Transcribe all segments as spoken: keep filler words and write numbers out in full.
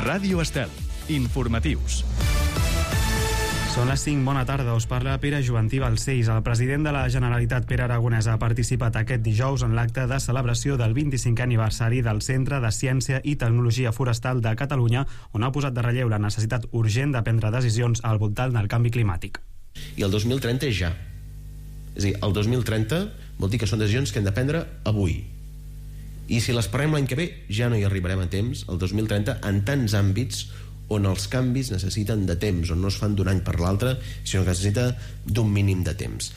Ràdio Estel. Informatius. Són les cinc, bona tarda, us parla Pere Juvantí Balcells. El president de la Generalitat, Pere Aragonès, ha participat aquest dijous en l'acte de celebració del vint-i-cinquè aniversari del Centre de Ciència i Tecnologia Forestal de Catalunya, on ha posat de relleu la necessitat urgent de prendre decisions al voltant del canvi climàtic. I el dos mil trenta és ja. És a dir, el dos mil trenta vol dir que són decisions que hem de prendre avui. I si les parlem l'any que ve, ja no hi arribarem a temps, el dos mil trenta, en tants àmbits on els canvis necessiten de temps, on no es fan d'un any per l'altre, sinó que necessita d'un mínim de temps.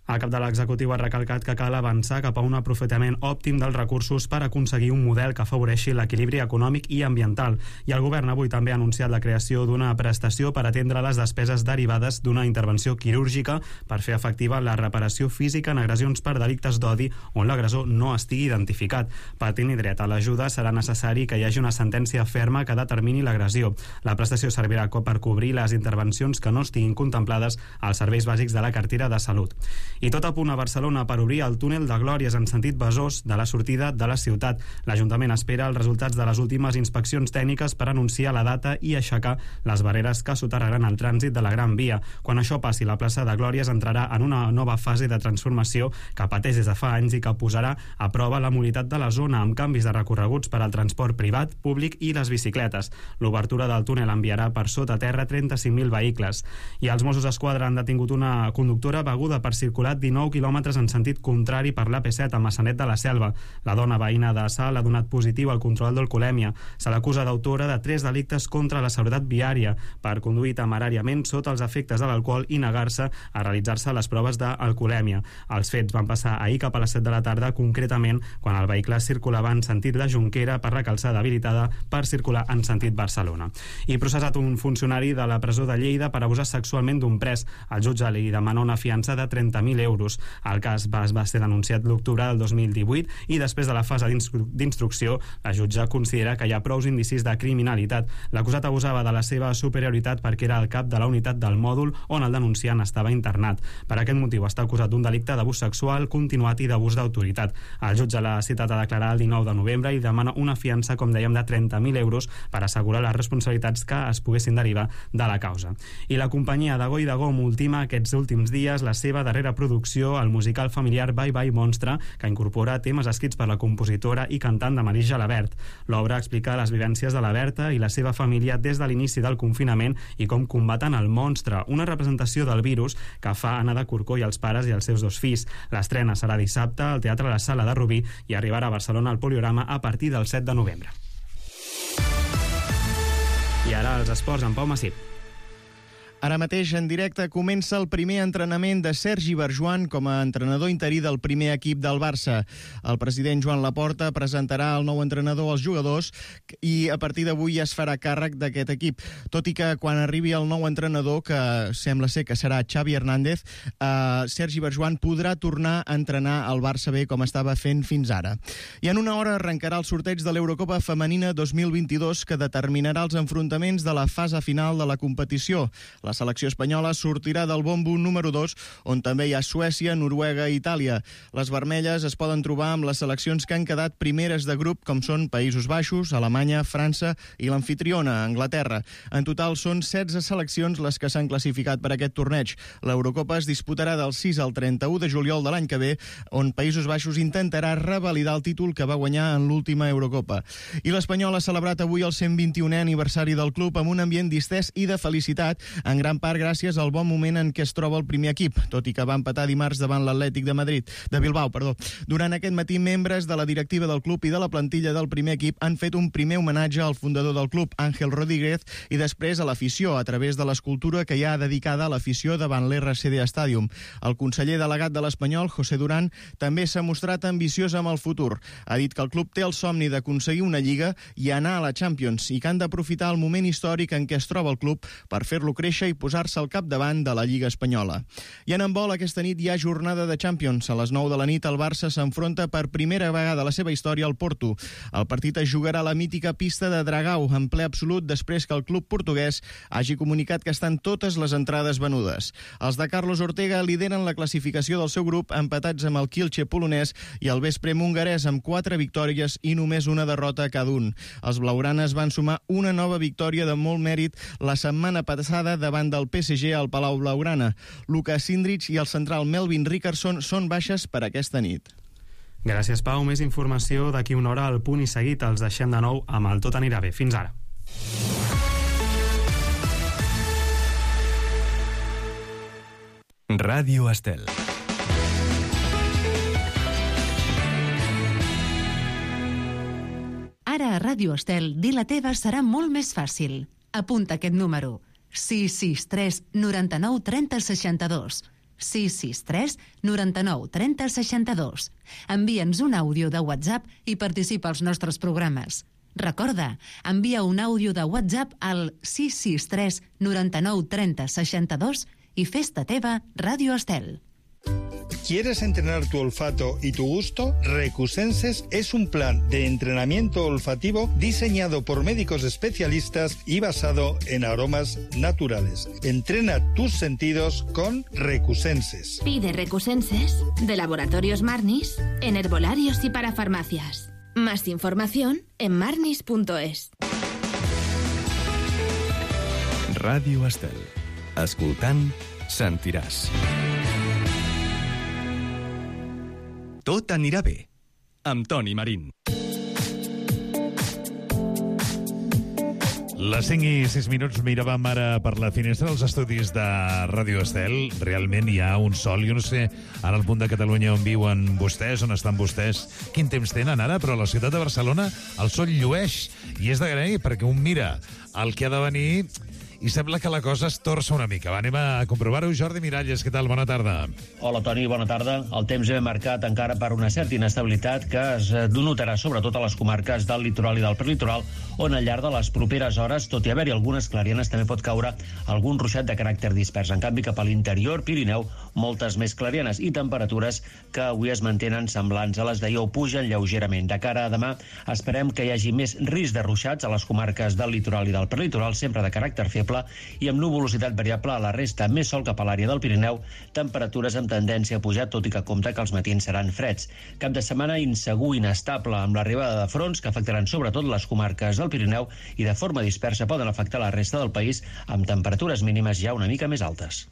El cap de l'executiu ha recalcat que cal avançar cap a un aprofitament òptim dels recursos per aconseguir un model que afavoreixi l'equilibri econòmic i ambiental. I el govern avui també ha anunciat la creació d'una prestació per atendre les despeses derivades d'una intervenció quirúrgica per fer efectiva la reparació física en agressions per delictes d'odi on l'agressor no estigui identificat. Per tenir dret a l'ajuda serà necessari que hi hagi una sentència ferma que determini l'agressió. La prestació servirà per cobrir les intervencions que no estiguin contemplades als serveis bàsics de la cartera de salut. I tot a punt a Barcelona per obrir el túnel de Glòries en sentit Besòs de la sortida de la ciutat. L'Ajuntament espera els resultats de les últimes inspeccions tècniques per anunciar la data i aixecar les barreres que soterraran el trànsit de la Gran Via. Quan això passi, la plaça de Glòries entrarà en una nova fase de transformació que pateix des de fa anys i que posarà a prova la mobilitat de la zona amb canvis de recorreguts per al transport privat, públic i les bicicletes. L'obertura del túnel enviarà per sota terra trenta-cinc mil vehicles. I els Mossos d'Esquadra han detingut una conductora beguda per circular dinou quilòmetres en sentit contrari per l'A P set a Maçanet de la Selva. La dona veïna de Salt ha donat positiu al control d'alcoholèmia. Se l'acusa d'autora de tres delictes contra la seguretat viària per conduir temeràriament sota els efectes de l'alcohol i negar-se a realitzar-se les proves d'alcoholèmia. Els fets van passar ahir cap a les set de la tarda, concretament quan el vehicle circulava en sentit la Jonquera per la calçada habilitada per circular en sentit Barcelona. I processat un funcionari de la presó de Lleida per abusar sexualment d'un pres. El jutge li demana una fiança de trenta mil euros. El cas va, va ser denunciat l'octubre del dos mil divuit i després de la fase d'instru d'instrucció, la jutge considera que hi ha prous indicis de criminalitat. L'acusat abusava de la seva superioritat perquè era el cap de la unitat del mòdul on el denunciant estava internat. Per aquest motiu està acusat d'un delicte d'abús sexual continuat i d'abús d'autoritat. El jutge l'ha citat a declarar el dinou de novembre i demana una fiança, com dèiem, de trenta mil euros per assegurar les responsabilitats que es poguessin derivar de la causa. I la companyia de Go i de Gom ultima aquests últims dies la seva darrera producció, el musical familiar Bye Bye Monstre, que incorpora temes escrits per la compositora i cantant de Maris Gelabert. L'obra explica les vivències de la Berta i la seva família des de l'inici del confinament i com combaten el monstre, una representació del virus que fa anar de corcó i els pares i els seus dos fills. L'estrena serà dissabte al Teatre La Sala de Rubí i arribarà a Barcelona al Poliorama a partir del set de novembre. I ara els esports amb Pau Massip. Ara mateix, en directe, comença el primer entrenament de Sergi Barjuan com a entrenador interí del primer equip del Barça. El president Joan Laporta presentarà el nou entrenador als jugadors i a partir d'avui ja es farà càrrec d'aquest equip. Tot i que quan arribi el nou entrenador, que sembla ser que serà Xavi Hernández, eh, Sergi Barjuan podrà tornar a entrenar el Barça B com estava fent fins ara. I en una hora arrencarà el sorteig de l'Eurocopa Femenina dos mil vint-i-dos que determinarà els enfrontaments de la fase final de la competició. La selecció espanyola sortirà del bombo número dos, on també hi ha Suècia, Noruega i Itàlia. Les vermelles es poden trobar amb les seleccions que han quedat primeres de grup, com són Països Baixos, Alemanya, França i l'anfitriona, Anglaterra. En total són setze seleccions les que s'han classificat per aquest torneig. L'Eurocopa es disputarà del sis al trenta-u de juliol de l'any que ve, on Països Baixos intentarà revalidar el títol que va guanyar en l'última Eurocopa. I l'Espanyol ha celebrat avui el cent vint-i-unè aniversari del club amb un ambient distès i de felicitat, en gran part gràcies al bon moment en què es troba el primer equip, tot i que va empatar dimarts davant l'Atlètic de Madrid, de Bilbao, perdó. Durant aquest matí, membres de la directiva del club i de la plantilla del primer equip han fet un primer homenatge al fundador del club, Ángel Rodríguez, i després a l'afició, a través de l'escultura que hi ha dedicada a l'afició davant l'R C D Stadium. El conseller delegat de l'Espanyol, José Durán, també s'ha mostrat ambiciós amb el futur. Ha dit que el club té el somni d'aconseguir una lliga i anar a la Champions i que han d'aprofitar el moment històric en què es troba el club per fer-lo créixer créixer i posar-se al capdavant de la Lliga Espanyola. I en handbol, aquesta nit hi ha jornada de Champions. A les nou de la nit el Barça s'enfronta per primera vegada a la seva història al Porto. El partit es jugarà a la mítica pista de Dragao, en ple absolut, després que el club portuguès hagi comunicat que estan totes les entrades venudes. Els de Carlos Ortega lideren la classificació del seu grup, empatats amb el Kielce polonès i el Veszprém hongarès, amb quatre victòries i només una derrota cada un. Els blaugranes van sumar una nova victòria de molt mèrit la setmana passada davant del P S G al Palau Blaugrana. Lucas Sindrich i el central Melvin Rickerson són baixes per aquesta nit. Gràcies, Pau. Més informació d'aquí una hora al Punt i Seguit. Els deixem de nou amb el Tot anirà bé. Fins ara. Ràdio Estel. Ara a Ràdio Estel, dir la teva serà molt més fàcil. Apunta aquest número. sis sis tres noranta-nou trenta seixanta-dos. sis sis tres noranta-nou trenta seixanta-dos. Envia'ns un àudio de WhatsApp i participa als nostres programes. Recorda, envia un àudio de WhatsApp al sis sis tres noranta-nou trenta seixanta-dos i fes-te teva Ràdio Estel. ¿Quieres entrenar tu olfato y tu gusto? Recusenses es un plan de entrenamiento olfativo diseñado por médicos especialistas y basado en aromas naturales. Entrena tus sentidos con Recusenses. Pide Recusenses de Laboratorios Marnis en herbolarios y para farmacias. Más información en marnis punto es. Ràdio Estel. Escoltant, sentiràs. Tot anirà bé, amb Toni Marín. Les cinc i sis minuts miràvem ara per la finestra dels estudis de Ràdio Estel. Realment hi ha un sol. Jo no sé, ara al punt de Catalunya on viuen vostès, on estan vostès, quin temps tenen ara, però a la ciutat de Barcelona el sol llueix. I és d'agrair, perquè un mira el que ha de venir i sembla que la cosa es torça una mica. Va, anem a comprovar-ho. Jordi Miralles, què tal? Bona tarda. Hola, Toni, bona tarda. El temps ve marcat encara per una certa inestabilitat que es notarà sobretot a les comarques del litoral i del prelitoral, on al llarg de les properes hores, tot i haver-hi algunes clarianes, també pot caure algun ruixat de caràcter dispers. En canvi, cap a l'interior Pirineu, moltes més clarianes i temperatures que avui es mantenen semblants a les d'ahir o pugen lleugerament. De cara a demà, esperem que hi hagi més risc de ruixats a les comarques del litoral i del prelitoral, sempre de caràcter feble, i amb nuvolositat variable a la resta, més sol cap a l'àrea del Pirineu, temperatures amb tendència a pujar, tot i que compta que els matins seran freds. Cap de setmana insegur, inestable, amb l'arribada de fronts que afectaran sobretot les comarques del Pirineu i de forma dispersa poden afectar la resta del país amb temperatures mínimes ja una mica més altes.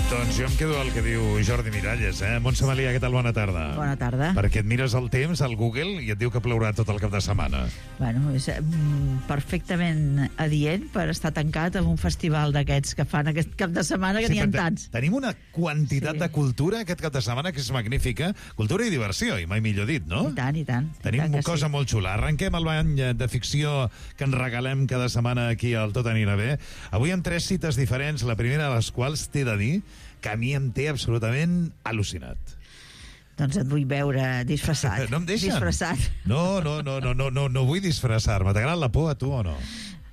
Doncs jo em quedo al que diu Jordi Miralles, eh? Montse Malia, què tal? Bona tarda. Bona tarda. Perquè et mires el temps al Google i et diu que plourà tot el cap de setmana. Bueno, és mm, perfectament adient per estar tancat en un festival d'aquests que fan aquest cap de setmana, que sí, n'hi ha tants. Tenim una quantitat Sí. de cultura aquest cap de setmana que és magnífica. Cultura i diversió, i mai millor dit, no? I tant, i tant. I Tenim tant una que cosa sí. molt xula. Arrenquem el bany de ficció que ens regalem cada setmana aquí al Tot anirà bé. Avui amb tres cites diferents, la primera de les quals t'he de dir que a mi em té absolutament al·lucinat. Doncs et vull veure disfressat. No em deixen? Disfressat. No, no, no, no, no, no, no vull disfressar-me. T'agrada la por a tu o no?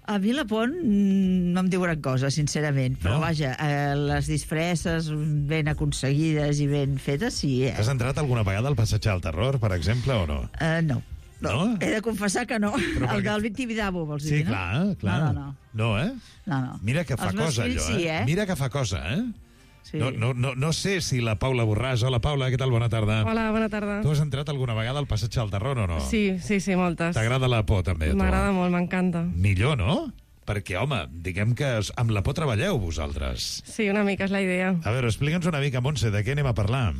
A mi la por mm, no em diu gran cosa, sincerament. Però No? vaja, eh, les disfresses ben aconseguides i ben fetes, sí. Eh? Has entrat alguna vegada al passatge del terror, per exemple, o no? Eh, no. No? He de confessar que no. Però El perquè- del Tibidabo, vols Sí, dir, no? clar, clar. No, no, no. No, eh? no, no. Mira que fa Els meus cosa, fills allò, sí, eh? eh? Mira que fa cosa, eh? Sí. No, no, no, no sé si la Paula Borràs... Hola, Paula, què tal? Bona tarda. Hola, bona tarda. Tu has entrat alguna vegada al passatge del terror o no? Sí, sí, sí, moltes. T'agrada la por, també, a tu? M'agrada molt, m'encanta. Millor, no? Perquè, home, diguem que amb la por treballeu, vosaltres. Sí, una mica és la idea. A veure, explica'ns una mica, Montse, de què anem a parlar?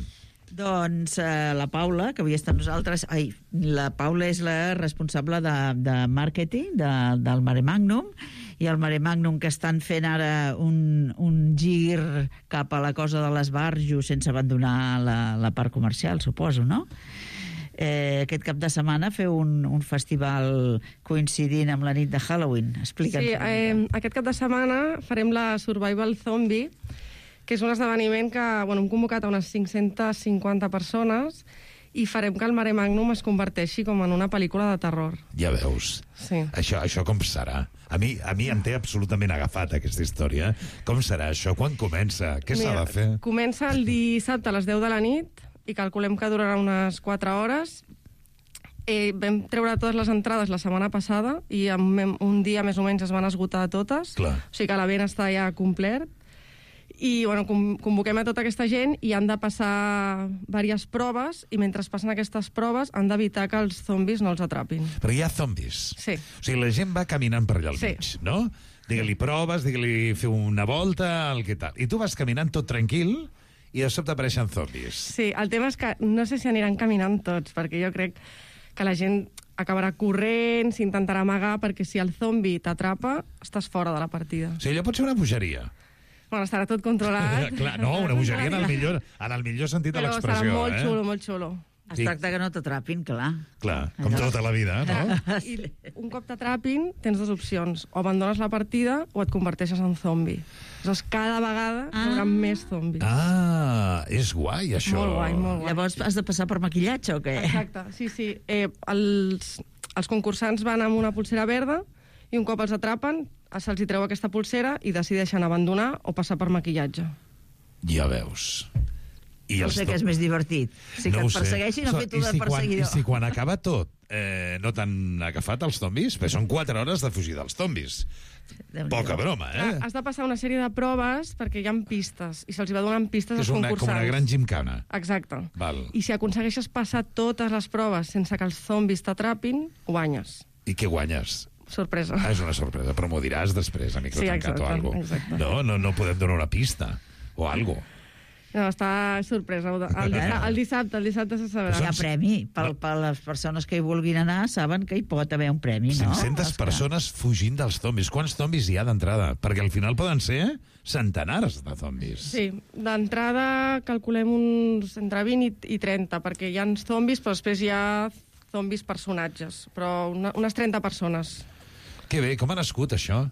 Doncs eh, la Paula, que avui està amb nosaltres... Ai, la Paula és la responsable de, de màrqueting de, del Mare Magnum, i el Mare Magnum que estan fent ara un, un gir cap a la cosa de l'esbarjo sense abandonar la, la part comercial, suposo, no? Eh, aquest cap de setmana feu un, un festival coincidint amb la nit de Halloween. Explica'ns. Sí, eh, aquest cap de setmana farem la Survival Zombie, que és un esdeveniment que bueno, hem convocat a unes cinc-centes cinquanta persones i farem que el Mare Magnum es converteixi com en una pel·lícula de terror. Ja veus. Sí. Això, això com serà? A mi, a mi em té absolutament agafat aquesta història. Com serà això? Quan comença? Què s'ha de fer? Comença el dissabte a les deu de la nit i calculem que durarà unes quatre hores. Eh, vam treure totes les entrades la setmana passada i en un dia més o menys es van esgotar totes. Clar. O sigui que l'event està ja complet. I bueno, convoquem a tota aquesta gent i han de passar diverses proves i mentre passen aquestes proves han d'evitar que els zombis no els atrapin. Però hi ha zombis. Sí. O sigui, la gent va caminant per allà al Sí. mig, no? Digue-li proves, digue-li fer una volta, el que tal. I tu vas caminant tot tranquil i de sobte apareixen zombis. Sí, el tema és que no sé si aniran caminant tots, perquè jo crec que la gent acabarà corrent, s'intentarà amagar, perquè si el zombi t'atrapa, estàs fora de la partida. O sigui, allò pot ser una bogeria. Bueno, estarà tot controlat. Clar, no, una bogeria en el millor, en el millor sentit de Però l'expressió. serà molt eh? xulo, molt xulo. Es tracta que no t'atrapin, clar. Clar, com tota la vida, no? I un cop t'atrapin, tens dues opcions. O abandones la partida o et converteixes en zombi. Aleshores, cada vegada ah. hi haurà més zombis. Ah, és guai, això. Molt guai, molt guai. Llavors has de passar per maquillatge o què? Exacte, sí, sí. Eh, els, els concursants van amb una pulsera verda i un cop els atrapen, se'ls hi treu aquesta pulsera i decideixen abandonar o passar per maquillatge. Ja veus. I no sé què és més divertit. Si no que et persegueixin o fer tu de si perseguidor. Quan, I si quan acaba tot eh, no t'han agafat els zombis? Perquè són quatre hores de fugir dels zombis. Poca broma, eh? Has de passar una sèrie de proves perquè hi ha pistes i se'ls va donant pistes als és una, concursants. com una gran gimcana. Exacte. Val. I si aconsegueixes passar totes les proves sense que els zombis t'atrapin, guanyes. I què guanyes? Sorpresa. Ah, és una sorpresa, però m'ho diràs després, a micro Sí, tancat exacte, o alguna exacte. No, no, no podem donar una pista o algo. No, està sorpresa. El, dissabte, el dissabte, el dissabte se sabrà. Hi ha premi. Per, per les persones que hi vulguin anar saben que hi pot haver un premi, no? cinc-centes persones fugint dels zombis. Quants zombis hi ha d'entrada? Perquè al final poden ser centenars de zombis. Sí, d'entrada calculem uns entre vint i trenta, perquè hi ha zombis, però després hi ha zombis personatges, però una, unes trenta persones. Que bé, com ha nascut això?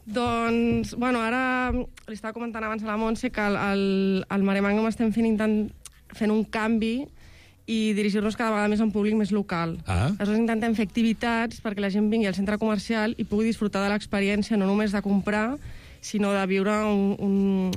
Doncs, bueno, ara li estava comentant abans a la Montse que al, al, al Mare Magnum estem fent, intent, fent un canvi i dirigir-nos cada vegada més a un públic més local. Ah. Aleshores intentem fer activitats perquè la gent vingui al centre comercial i pugui disfrutar de l'experiència no només de comprar, sinó de viure un, un,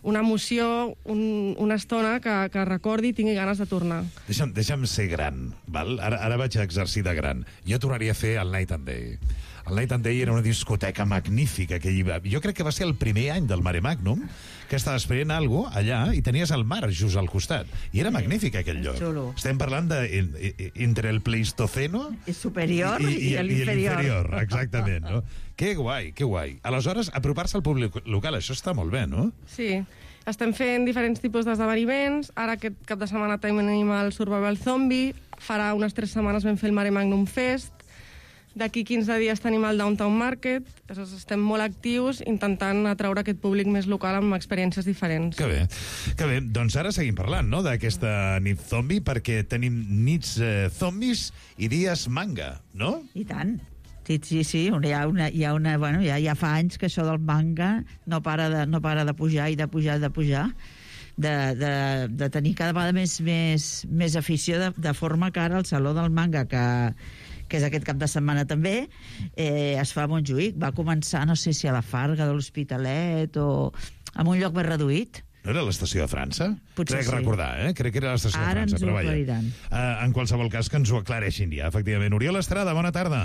una emoció, un, una estona que, que recordi i tingui ganes de tornar. Deixa'm, deixa'm ser gran, val? Ara, ara vaig a exercir de gran. Jo tornaria a fer el Night and Day. El Night and Day era una discoteca magnífica que hi va. Jo crec que va ser el primer any del Mare Magnum que estaves fent alguna cosa allà i tenies el mar just al costat. I era magnífic aquell lloc. Xulo. Estem parlant de en, en, entre el Pleistoceno El superior i, i, i l'inferior. l'inferior. Exactament, no? Que guai, que guai. Aleshores, apropar-se al públic local, això està molt bé, no? Sí, estem fent diferents tipus d'esdeveniments. Ara aquest cap de setmana tenim el Survival Zombie. Farà unes tres setmanes vam fer el Mare Magnum Fest. D'aquí quinze dies tenim el Downtown Market. Estem molt actius intentant atraure aquest públic més local amb experiències diferents. Que bé, que bé. Doncs ara seguim parlant, no?, d'aquesta nit zombi, perquè tenim nits eh, zombis i dies manga, no? I tant. Sí, sí, sí. Hi ha una, hi ha una, bueno, ja, ja fa anys que això del manga no para de, no para de pujar i de pujar i de pujar. De, de, de tenir cada vegada més, més, més afició, de, de forma que ara el Saló del Manga, que que és aquest cap de setmana també, eh, es fa a Montjuïc. Va començar, no sé si a la Farga de l'Hospitalet o en un lloc més reduït. No era l'estació de França? Potser Crec sí. recordar, eh? Crec que era l'estació de Ara França. ens ho però vaja. aclariran. Uh, en qualsevol cas, que ens ho aclareixin ja, efectivament. Oriol Estrada, bona tarda.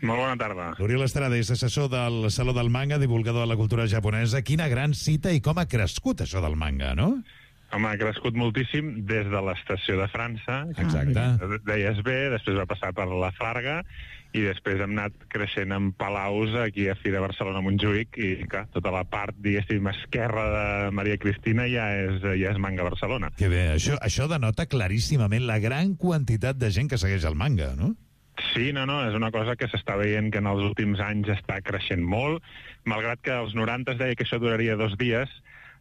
Molt bona tarda. Oriol Estrada és assessor del Saló del Manga, divulgador de la cultura japonesa. Quina gran cita i com ha crescut això del manga, no? Home, ha crescut moltíssim des de l'estació de França. Exacte. Deies bé, després va passar per la Farga i després hem anat creixent en palaus aquí a Fira Barcelona Montjuïc i, clar, tota la part, diguéssim, esquerra de Maria Cristina ja és, ja és manga Barcelona. Que bé, això, això denota claríssimament la gran quantitat de gent que segueix el manga, no? Sí, no, no, és una cosa que s'està veient que en els últims anys està creixent molt, malgrat que als noranta es deia que això duraria dos dies,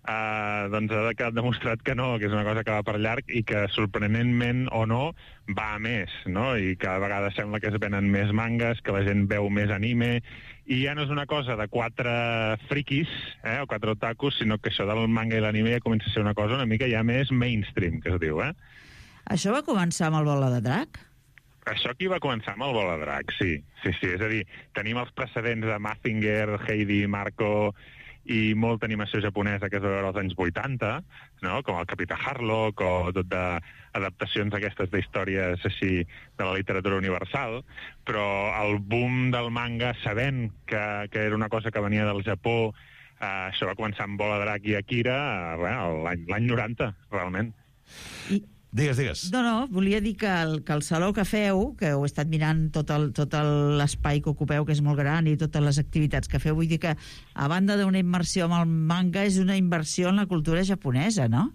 Uh, doncs ha quedat demostrat que no, que és una cosa que va per llarg i que sorprenentment o no va a més, no? I cada vegada sembla que es venen més mangas, que la gent veu més anime i ja no és una cosa de quatre friquis eh, o quatre otakus, sinó que això del manga i l'anime ja comença a ser una cosa una mica ja més mainstream, que es diu, eh? Això va començar amb el Bola de Drac? Això aquí va començar amb el vol a drac, sí. Sí, sí, és a dir, tenim els precedents de Mazinger, Heidi, Marco i molta animació japonesa que es va veure als anys vuitanta, no? Com el Capità Harlock o tot d'adaptacions aquestes d'històries així de la literatura universal, però el boom del manga, sabent que, que era una cosa que venia del Japó, eh, això va començar amb Bola Drac i Akira eh, l'any noranta, realment. I... Digues, digues. No, no, volia dir que el, que el saló que feu, que ho he estat mirant tot el, tot l'espai que ocupeu, que és molt gran, i totes les activitats que feu, vull dir que, a banda d'una immersió amb el manga, és una inversió en la cultura japonesa, no?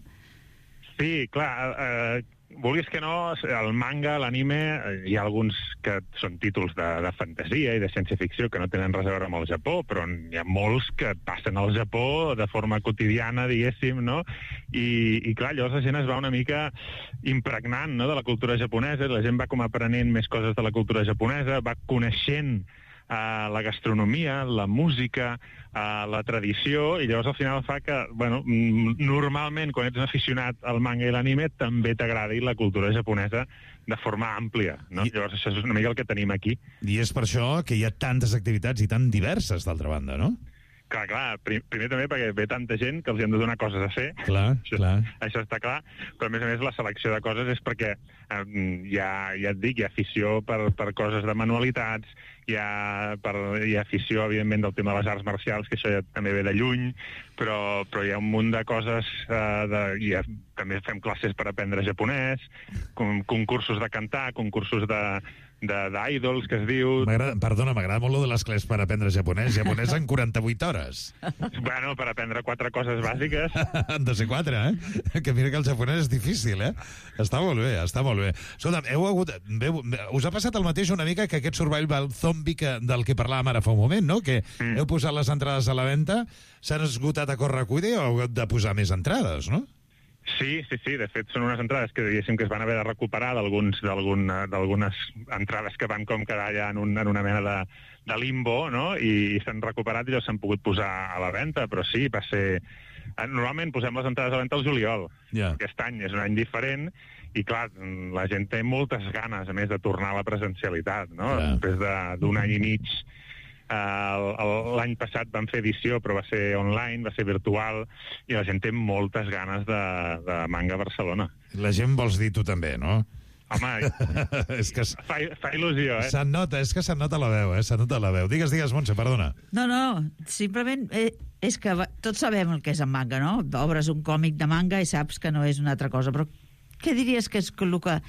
Sí, clar, eh, vulguis que no, el manga, l'anime, hi ha alguns que són títols de, de fantasia i de ciència-ficció que no tenen res a veure amb el Japó, però hi ha molts que passen al Japó de forma quotidiana, diguéssim, no? I, i clar, llavors la gent es va una mica impregnant, no?, de la cultura japonesa, la gent va com aprenent més coses de la cultura japonesa, va coneixent Uh, la gastronomia, la música, uh, la tradició, i llavors al final fa que, bueno, normalment quan ets un aficionat al manga i l'anime també t'agradi la cultura japonesa de forma àmplia, no? I... Llavors això és una mica el que tenim aquí. I és per això que hi ha tantes activitats i tan diverses, d'altra banda, no? Clar, clar, primer també perquè ve tanta gent que els hem de donar coses a fer. Clar, això, clar. Això està clar, però a més a més la selecció de coses és perquè eh, hi ha, ja et dic, hi ha afició per, per coses de manualitats, hi ha, per, hi ha afició, evidentment, del tema de les arts marcials, que això ja també ve de lluny, però, però hi ha un munt de coses, eh, de, hi ha, també fem classes per aprendre japonès, con, concursos de cantar, concursos de... d'idols, que es diu... Perdona, m'agrada molt lo de les classes per aprendre japonès. Japonès en quaranta-vuit hores. Bueno, per aprendre quatre coses bàsiques. Han de ser quatre, eh? Que mira que el japonès és difícil, eh? Està molt bé, està molt bé. Escolta'm, heu hagut... Us ha passat el mateix una mica que aquest survival zombie que, del que parlàvem ara fa un moment, no? Que mm. heu posat les entrades a la venda, s'han esgotat a correcuida i heu hagut de posar més entrades, no? Sí, sí, sí. De fet, són unes entrades que diguéssim que es van haver de recuperar d'algunes entrades que van com quedar allà en, un, en una mena de, de limbo, no? I, i s'han recuperat i s'han pogut posar a la venda, però sí, va ser... Normalment posem les entrades a la venda al juliol. Yeah. Aquest any és un any diferent i, clar, la gent té moltes ganes, a més, de tornar a la presencialitat, no? Yeah. Després d'un any i mig... Uh, l'any passat vam fer edició, però va ser online, va ser virtual, i la gent té moltes ganes de, de manga a Barcelona. La gent vols dir tu també, no? Home, és que fa, fa il·lusió, eh? Se'n nota, és que se'n nota la veu, eh? Se'n nota la veu. Digues, digues, Montse, perdona. No, no, simplement eh, és que va, tots sabem el que és en manga, no? Obres un còmic de manga i saps que no és una altra cosa, però què diries que és el que...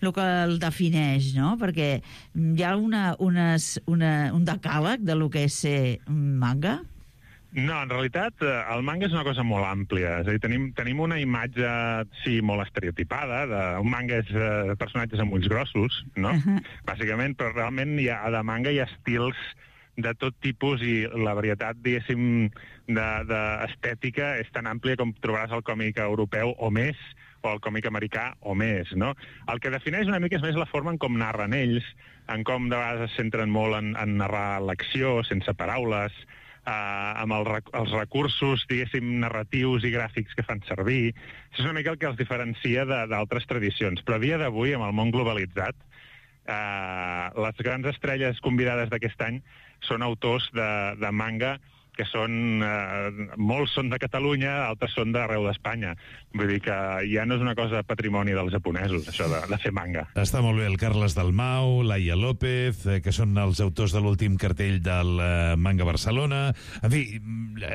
el que el defineix, no? Perquè hi ha una, unes, una, un decàleg de lo que és ser manga? No, en realitat el manga és una cosa molt àmplia. És a dir, tenim, tenim una imatge, sí, molt estereotipada. De, un manga és uh, personatges amb ulls grossos, no? Uh -huh. Bàsicament, però realment hi ha, de manga hi ha estils de tot tipus i la varietat, diguéssim, d'estètica és tan àmplia com trobaràs el còmic europeu o més, o el còmic americà o més, no? El que defineix una mica és més la forma en com narren ells, en com de vegades es centren molt en, en narrar l'acció, sense paraules, eh, amb el, els recursos, diguéssim, narratius i gràfics que fan servir. Això és una mica el que els diferencia d'altres tradicions. Però a dia d'avui, amb el món globalitzat, eh, les grans estrelles convidades d'aquest any són autors de, de manga que són, eh, molts són de Catalunya, altres són d'arreu d'Espanya. Vull dir que ja no és una cosa patrimoni dels japonesos, això de, de fer manga. Està molt bé el Carles Dalmau, Laia López, eh, que són els autors de l'últim cartell del eh, Manga Barcelona. En fi,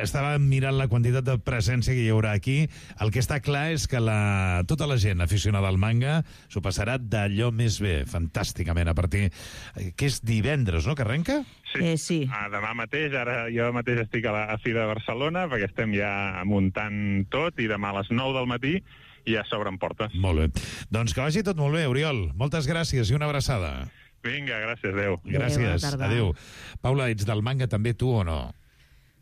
estava mirant la quantitat de presència que hi haurà aquí. El que està clar és que la, tota la gent aficionada al manga s'ho passarà d'allò més bé, fantàsticament, a partir... Eh, que és divendres, no?, que arrenca? Sí, eh, sí. Ah, demà mateix, ara jo mateix estic a la a Fira de Barcelona, perquè estem ja muntant tot, i demà a les nou del matí ja s'obren portes. Molt bé. Doncs que vagi tot molt bé, Oriol. Moltes gràcies i una abraçada. Vinga, gràcies, adéu. Gràcies, adéu. Paula, ets del manga també, tu, o no?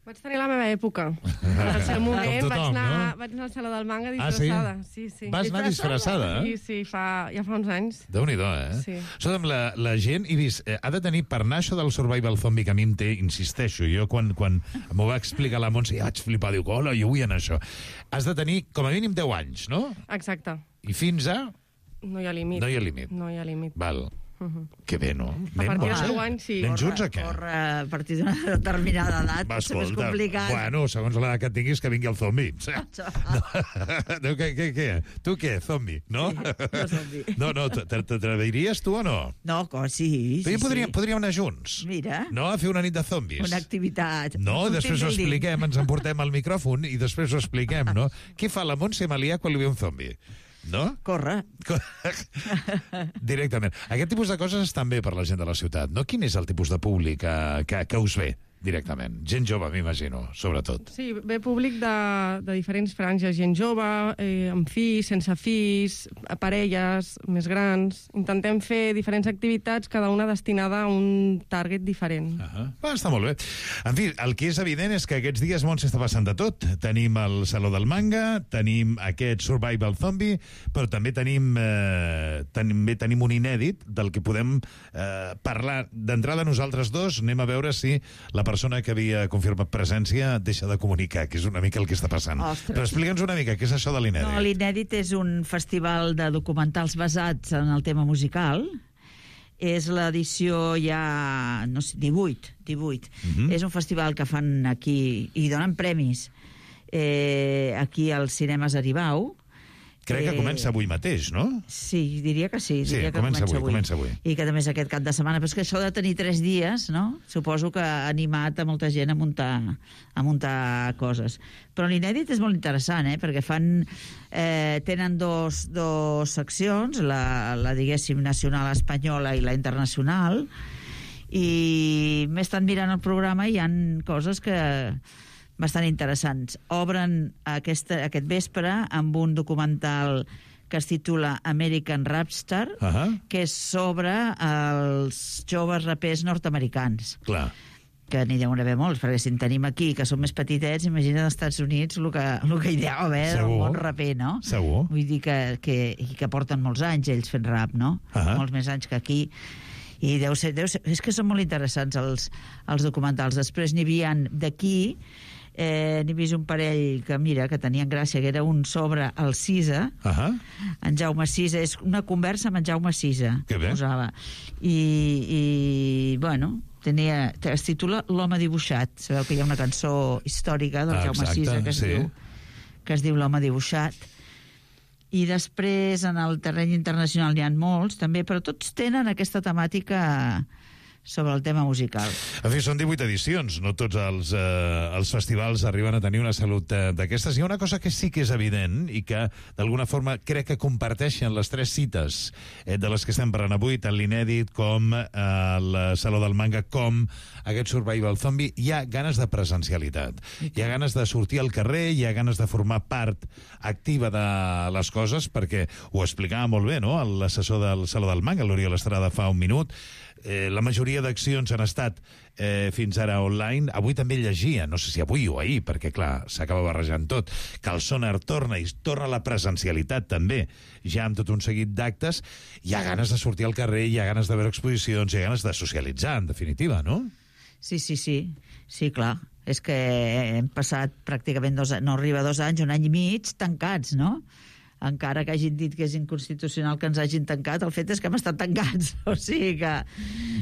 Vaig tenir la meva època. En el seu moment tothom, vaig, anar, no? vaig anar al Saló del Manga disfressada. Ah, sí? Sí, sí. Vas anar disfressada? Sí, sí, fa, ja fa uns anys. Déu-n'hi-do, eh? Sí. Escolta'm, la, la gent, he vist, eh, ha de tenir, per anar això del survival zombie que a mi em té, insisteixo, jo quan, quan m'ho va explicar la Montse ja vaig flipar, diu, hola, jo vull anar a això. Has de tenir com a mínim deu anys, no? Exacte. I fins a... No hi ha límit. No hi ha límit. No hi ha límit. Val. Uh-huh. Que bé, no? A partir dels deu anys, sí. Anem junts o què? Corre a partir d'una determinada edat, Va, pot ser més escolta, complicat. bueno, segons l'edat que tinguis, que vingui el zombi. No, què, què, què? Tu què, zombi, no? Sí, jo zombi. No, no, t'atreviries tu o no? No, co, sí, sí, podríem, sí. podríem anar junts. Mira. No, a fer una nit de zombis. Una activitat. No, Un després ho team building. expliquem, ens emportem al micròfon i després ho expliquem, no? Què fa la Montse Malià quan li ve un zombi? No? Corre. Directament. Aquest tipus de coses estan bé per la gent de la ciutat, no? Quin és el tipus de públic que, que, que us ve directament? Gent jove, m'imagino, sobretot. Sí, ve públic de, de diferents franges, gent jove, eh, amb fills, sense fills, parelles, més grans. Intentem fer diferents activitats, cada una destinada a un target diferent. Uh -huh. Va, està molt bé. En fi, el que és evident és que aquests dies, Montse, està passant de tot. Tenim el Saló del Manga, tenim aquest Survival Zombie, però també tenim, eh, també tenim un inèdit del que podem eh, parlar. D'entrada, nosaltres dos anem a veure si la persona que havia confirmat presència deixa de comunicar, que és una mica el que està passant. Ostres. Però explica'ns una mica, què és això de l'inèdit? No, l'Inèdit és un festival de documentals basats en el tema musical. És l'edició ja, no sé, divuit. divuit. Mhm. És un festival que fan aquí, i donen premis, eh, aquí als Cinemes Aribau. Crec que comença avui mateix, no? Sí, diria que sí. Sí, diria que comença comença avui, comença avui. I que també és aquest cap de setmana. Però és que això de tenir tres dies, no? Suposo que ha animat a molta gent a muntar, a muntar coses. Però l'inèdit és molt interessant, eh? Perquè fan... Eh, tenen dos, dos seccions, la, la, diguéssim, nacional espanyola i la internacional, i m'he estat mirant el programa i hi ha coses que... bastant interessants. Obren aquesta, aquest vespre amb un documental que es titula American Rapstar, uh -huh. que és sobre els joves rapers nord-americans. Clar. Que n'hi deuen haver molts, perquè si en tenim aquí, que són més petitets, imagina't als Estats Units el que, el que hi deu haver del món raper, no? Segur. Vull dir que, que, i que porten molts anys ells fent rap, no? Uh -huh. Molts més anys que aquí. I deu ser, deu ser, és que són molt interessants els, els documentals. Després n'hi havia d'aquí, eh, n'he vist un parell que, mira, que tenien gràcia, que era un sobre el Cisa, uh -huh. en Jaume Cisa, és una conversa amb en Jaume Cisa, que bé. Posava. I, i bueno, tenia, es titula L'home dibuixat. Sabeu que hi ha una cançó històrica del ah, Jaume exacte, Cisa que es, sí. diu, que es diu L'home dibuixat. I després, en el terreny internacional n'hi ha molts, també, però tots tenen aquesta temàtica sobre el tema musical. En fi, són divuit edicions, no tots els, eh, els festivals arriben a tenir una salut eh, d'aquestes. Hi ha una cosa que sí que és evident i que, d'alguna forma, crec que comparteixen les tres cites eh, de les que estem parlant avui, tant l'Inèdit com eh, el Saló del Manga, com aquest Survival Zombie. Hi ha ganes de presencialitat, hi ha ganes de sortir al carrer, hi ha ganes de formar part activa de les coses, perquè ho explicava molt bé, no?, l'assessor del Saló del Manga, l'Oriol Estrada, fa un minut. Eh, la majoria d'accions han estat eh, fins ara online. Avui també llegia, no sé si avui o ahir, perquè clar, s'acaba barrejant tot, que el Sonar torna i torna la presencialitat també, ja amb tot un seguit d'actes. Hi ha ganes de sortir al carrer, hi ha ganes de veure exposicions, hi ha ganes de socialitzar, en definitiva, no? Sí, sí, sí, sí, clar. És que hem passat pràcticament dos, no arriba a dos anys, un any i mig tancats, no? Encara que hagin dit que és inconstitucional que ens hagin tancat, el fet és que hem estat tancats. O sigui que...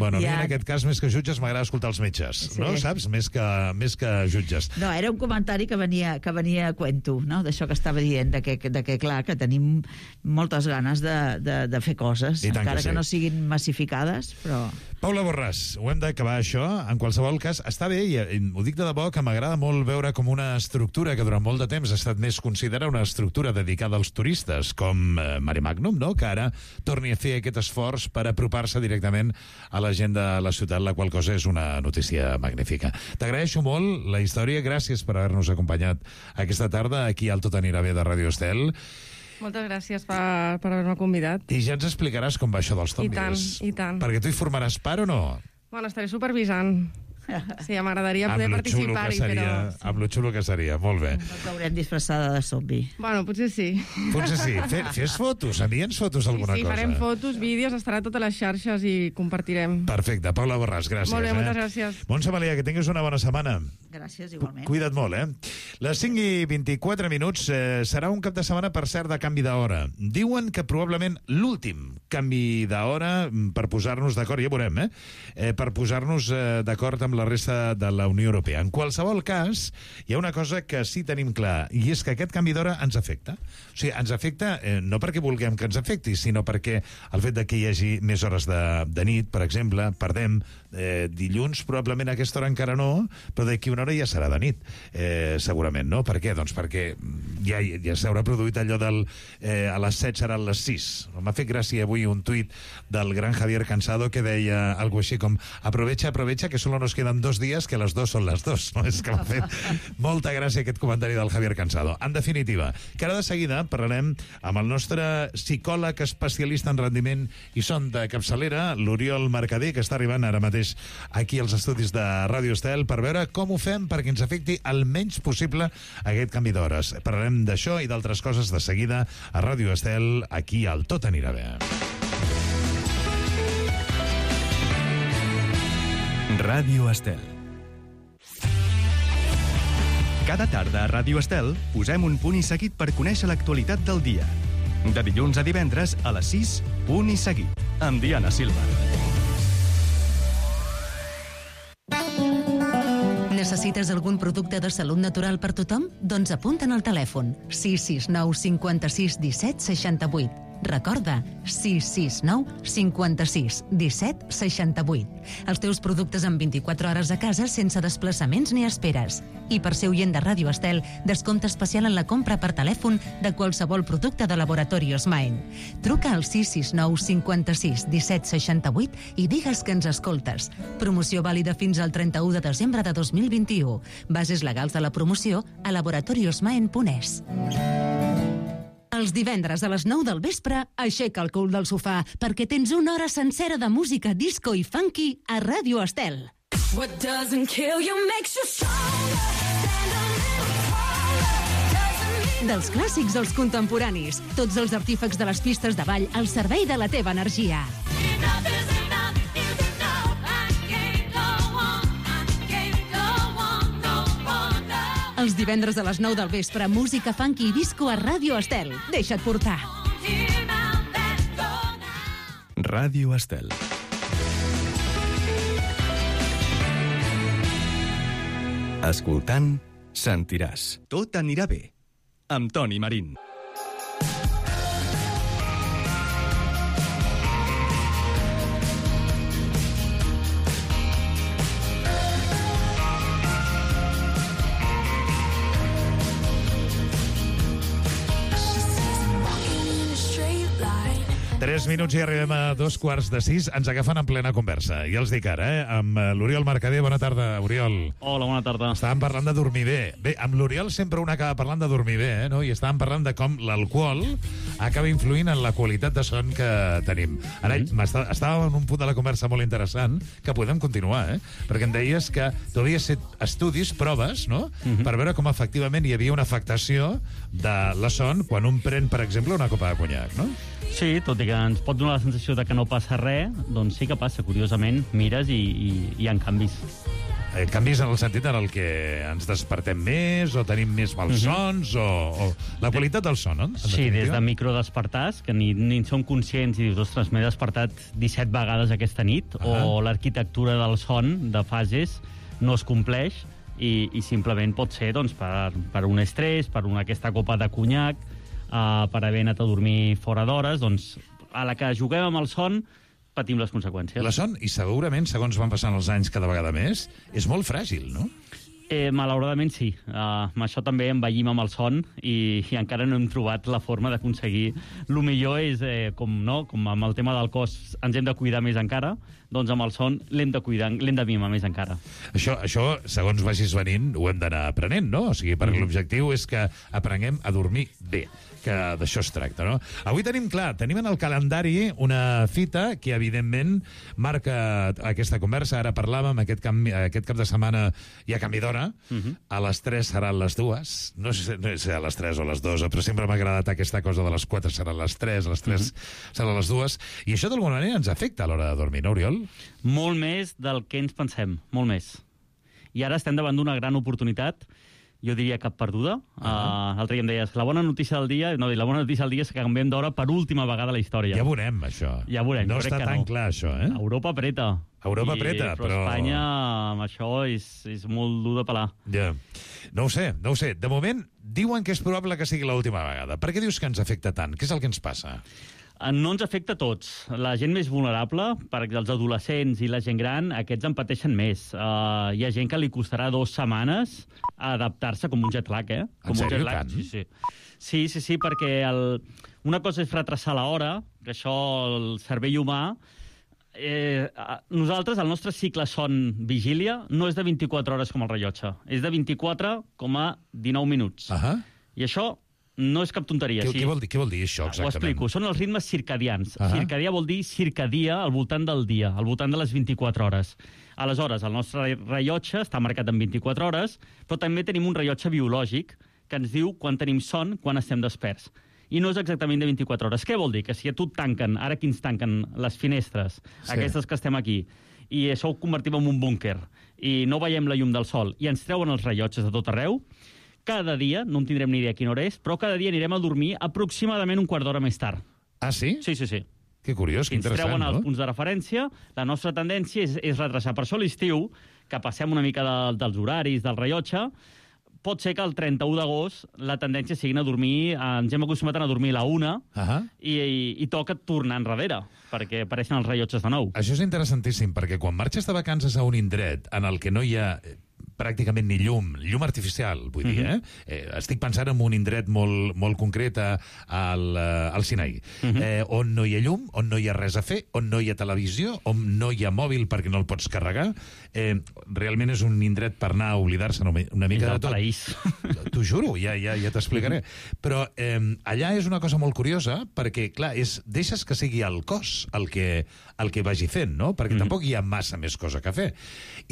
Bueno, a mi ja... en aquest cas, més que jutges, m'agrada escoltar els metges, Sí. no? Saps? Més que, més que jutges. No, era un comentari que venia, que venia a cuento, no?, d'això que estava dient, de que, de que clar, que tenim moltes ganes de, de, de fer coses, I tant encara que sí. que no siguin massificades, però... Paula Borràs, ho hem d'acabar això. En qualsevol cas, està bé, i ho dic de debò, que m'agrada molt veure com una estructura que durant molt de temps ha estat més considerada una estructura dedicada als turistes, com eh, Mare Magnum, no?, que ara torni a fer aquest esforç per apropar-se directament a la gent de la ciutat, la qual cosa és una notícia magnífica. T'agraeixo molt la història, gràcies per haver-nos acompanyat aquesta tarda aquí al Tot anirà bé de Ràdio Estel. Moltes gràcies per, per haver-me convidat. I ja ens explicaràs com va això dels zombis. I tant, i tant. Perquè tu hi formaràs part o no? Bueno, estaré supervisant. Sí, m'agradaria poder Amb lo xulo que participar-hi, seria, però... sí. Amb lo xulo que seria, molt bé. No t'haurem disfressada de zombi. Bueno, potser sí. Potser sí. Fe, fes fotos, envia'ns fotos d'alguna Sí, sí, cosa. farem fotos, vídeos, estarà a totes les xarxes i compartirem. Perfecte. Paula Borràs, gràcies. Molt bé, eh? moltes gràcies. Montse Malia, que tinguis una bona setmana. Gràcies, igualment. Cuida't molt, eh? Les cinc i vint-i-quatre minuts eh, serà un cap de setmana, per cert, de canvi d'hora. Diuen que probablement l'últim canvi d'hora per posar-nos d'acord, ja veurem, eh? eh per posar-nos eh, d'acord amb la resta de la Unió Europea. En qualsevol cas, hi ha una cosa que sí tenim clar, i és que aquest canvi d'hora ens afecta. O sigui, ens afecta eh, no perquè vulguem que ens afecti, sinó perquè el fet de que hi hagi més hores de, de nit, per exemple, perdem eh, dilluns, probablement a aquesta hora encara no, però d'aquí una hora ja serà de nit, eh, segurament, no? Per què? Doncs perquè ja, ja s'haurà produït allò del eh, a les set seran les sis. M'ha fet gràcia avui un tuit del gran Javier Cansado que deia algo així com aprovecha, aprovecha, que solo nos quedan dos días, que les dos són les dos. No? És que m'ha fet molta gràcia aquest comentari del Javier Cansado. En definitiva, que ara de seguida parlarem amb el nostre psicòleg especialista en rendiment i son de capçalera, l'Oriol Mercader, que està arribant ara mateix aquí als estudis de Ràdio Estel per veure com ho fem perquè ens afecti el menys possible aquest canvi d'hores. Parlarem d'això i d'altres coses de seguida a Ràdio Estel, aquí al Tot anirà bé. Ràdio Estel. Cada tarda a Ràdio Estel posem un punt i seguit per conèixer l'actualitat del dia. De dilluns a divendres a les sis, punt i seguit, amb Diana Silva. Necessites algun producte de salut natural per tothom? Doncs apunta'n al telèfon sis sis nou cinquanta-sis disset seixanta-vuit. Recorda, sis sis nou cinquanta-sis disset seixanta-vuit. Els teus productes en vint-i-quatre hores a casa sense desplaçaments ni esperes. I per ser oient de Ràdio Estel, descompte especial en la compra per telèfon de qualsevol producte de Laboratorios Maen. Truca al sis sis nou cinquanta-sis disset seixanta-vuit i digues que ens escoltes. Promoció vàlida fins al trenta-u de desembre de dos mil vint-i-u. Bases legals de la promoció a laboratoriosmaen punt es. Els divendres a les nou del vespre, aixeca el cul del sofà, perquè tens una hora sencera de música disco i funky a Ràdio Estel. What doesn't kill you makes you stronger. Dels clàssics als contemporanis, tots els artífecs de les pistes de ball al servei de la teva energia. Els divendres a les nou del vespre, música funky i disco a Ràdio Estel. Deixa't portar. Ràdio Estel. Escoltant, sentiràs. Tot anirà bé. Amb Toni Marín. Tres minuts i arribem a dos quarts de sis. Ens agafen en plena conversa. Ja els dic ara, eh? Amb l'Oriol Mercader. Bona tarda, Oriol. Hola, bona tarda. Estàvem parlant de dormir bé. Bé, amb l'Oriol sempre un acaba parlant de dormir bé, eh? No? I estàvem parlant de com l'alcohol acaba influint en la qualitat de son que tenim. Ara, mm. estàvem en un punt de la conversa molt interessant que podem continuar, eh? Perquè em deies que tu havies fet estudis, proves, no? Mm-hmm. Per veure com efectivament hi havia una afectació de la son quan un pren, per exemple, una copa de conyac, no? Sí, tot i que ens pot donar la sensació de que no passa res, doncs sí que passa, curiosament, mires i, i hi ha canvis. Eh, canvis en el sentit en el que ens despertem més o tenim més malsons mm-hmm. o, o la qualitat del son, no? Sí, des de microdespertars, que ni, ni som conscients i dius, ostres, m'he despertat disset vegades aquesta nit, uh-huh. o l'arquitectura del son, de fases, no es compleix i, i simplement pot ser doncs, per, per un estrès, per una, aquesta copa de conyac, uh, per haver anat a dormir fora d'hores, doncs a la que juguem amb el son patim les conseqüències. La son, i segurament, segons van passant els anys cada vegada més, és molt fràgil, no? Eh, malauradament sí. Uh, amb això també envellim amb el son i, i encara no hem trobat la forma d'aconseguir. El millor és, eh, com, no? com amb el tema del cos ens hem de cuidar més encara, doncs amb el son l'hem de cuidar, l'hem de mimar més encara. Això, això, segons vagis venint, ho hem d'anar aprenent, no? O sigui, perquè mm. l'objectiu és que aprenguem a dormir bé, que d'això es tracta, no? Avui tenim clar, tenim en el calendari una fita que, evidentment, marca aquesta conversa. Ara parlàvem, aquest, canvi, aquest cap de setmana hi ha canvi d'hora, uh-huh. a les tres seran les dues, no sé, no sé a les tres o a les dues, però sempre m'ha agradat aquesta cosa de les quatre seran les tres, a les tres uh-huh. seran les dues, i això d'alguna manera ens afecta a l'hora de dormir, no, Oriol? Molt més del que ens pensem, molt més. I ara estem davant d'una gran oportunitat, jo diria cap perduda. Uh-huh. uh, L'altre dia em deies, la bona notícia del dia, no, la bona notícia del dia és que canviem d'hora per última vegada a la història. Ja veurem, això. Ja veurem. No està tan no. clar, això, eh? Europa apreta. Europa I, apreta, però... però... Espanya, amb això, és, és molt dur de pelar. Ja. No ho sé, no ho sé. De moment, diuen que és probable que sigui l'última vegada. Per què dius que ens afecta tant? Què és el que ens passa? No ens afecta a tots. La gent més vulnerable, per els adolescents i la gent gran, aquests en pateixen més. Uh, hi ha gent que li costarà dues setmanes adaptar-se com un jet lag, eh? Com en sèrio, un jet lag. Sí, sí. Sí, sí, sí, perquè el... una cosa és retrasar l'hora, que això el cervell humà... Eh, nosaltres, el nostre cicle son-vigília no és de vint-i-quatre hores com el rellotge, és de vint-i-quatre coma dinou minuts. Uh-huh. I això no és cap tonteria. Què, sí. què, vol dir, què vol dir això, exactament? Ho explico. Són els ritmes circadians. Uh-huh. Circadià vol dir circadia al voltant del dia, al voltant de les vint-i-quatre hores. Aleshores, el nostre rellotge està marcat en vint-i-quatre hores, però també tenim un rellotge biològic que ens diu quan tenim son, quan estem desperts. I no és exactament de vint-i-quatre hores. Què vol dir? Que si a tu et tanquen, ara que ens tanquen les finestres, sí. aquestes que estem aquí, i això ho convertim en un búnquer, i no veiem la llum del sol, i ens treuen els rellotges de tot arreu, cada dia, no en tindrem ni idea quina hora és, però cada dia anirem a dormir aproximadament un quart d'hora més tard. Ah, sí? Sí, sí, sí. Que curiós, que interessant, no? Ens treuen els punts de referència, la nostra tendència és, és retrasar. Per això a l'estiu, que passem una mica de, dels horaris, del rellotge, pot ser que el trenta-u d'agost la tendència sigui a dormir, ens hem acostumat a dormir a la una, uh-huh. i, i, i toca tornar enrere, perquè apareixen els rellotges de nou. Això és interessantíssim, perquè quan marxes de vacances a un indret en el que no hi ha pràcticament ni llum, llum artificial, vull dir, eh? eh estic pensant en un indret molt, molt concret a, al, al Sinaí, uh-huh. eh, on no hi ha llum, on no hi ha res a fer, on no hi ha televisió, on no hi ha mòbil perquè no el pots carregar. Eh, realment és un indret per anar a oblidar-se una, una mica de tot. T'ho juro, ja, ja, ja t'explicaré. Però eh, allà és una cosa molt curiosa, perquè, clar, és, deixes que sigui el cos el que, el que vagi fent, no? Perquè uh-huh. tampoc hi ha massa més cosa que fer.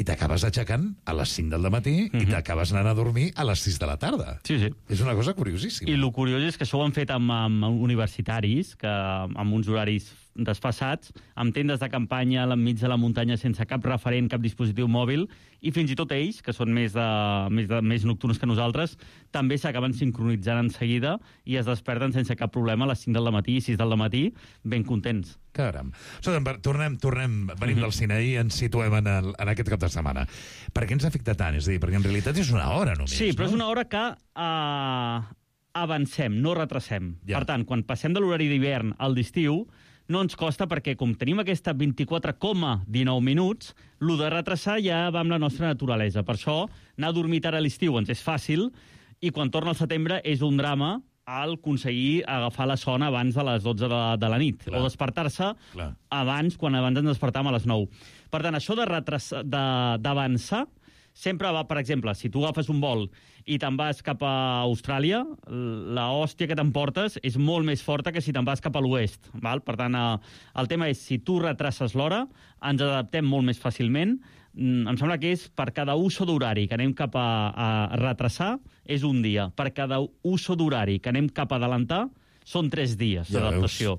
I t'acabes aixecant a les cinc del matí uh-huh. i t'acabes anant a dormir a les sis de la tarda. Sí, sí. És una cosa curiosíssima. I el curiós és que això ho han fet amb, amb universitaris, que amb uns horaris desfassats, amb tendes de campanya enmig de la muntanya sense cap referent, cap dispositiu mòbil, i fins i tot ells, que són més, de, més, de, més nocturns que nosaltres, també s'acaben sincronitzant en seguida i es desperten sense cap problema a les cinc del matí i sis del matí, ben contents. Caram. Escolta, tornem, tornem, venim del Sinaí i ens situem en, el, en aquest cap de setmana. Per què ens afecta tant? És a dir, perquè en realitat és una hora només, sí, però no? és una hora que uh, avancem, no retrasem. Ja. Per tant, quan passem de l'horari d'hivern al d'estiu, no ens costa perquè, com tenim aquesta vint-i-quatre coma dinou minuts, el de retrasar ja va amb la nostra naturalesa. Per això, anar a dormir tard a l'estiu ens és fàcil, i quan torna al setembre és un drama al aconseguir agafar la son abans de les dotze de, de la nit, Clar. o despertar-se Clar. abans, quan abans ens despertàvem a les nou. Per tant, això de retrasar, de, d'avançar, sempre va, per exemple, si tu agafes un vol i te'n vas cap a Austràlia, la hòstia que t'emportes és molt més forta que si te'n vas cap a l'oest. Val? Per tant, el tema és, si tu retraces l'hora, ens adaptem molt més fàcilment. Em sembla que és per cada uso d'horari que anem cap a, a retrasar, és un dia. Per cada uso d'horari que anem cap a adelantar, són tres dies ja d'adaptació.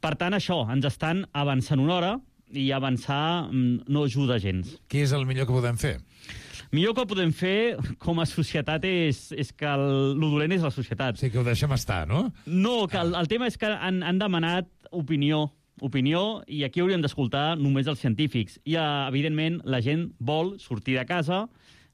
Per tant, això, ens estan avançant una hora, i avançar no ajuda gens. Què és el millor que podem fer? Millor que podem fer com a societat és, és que el, el dolent és la societat. Sí, que ho deixem estar, no? No, que el, el tema és que han, han demanat opinió, opinió, i aquí hauríem d'escoltar només els científics. I, evidentment, la gent vol sortir de casa,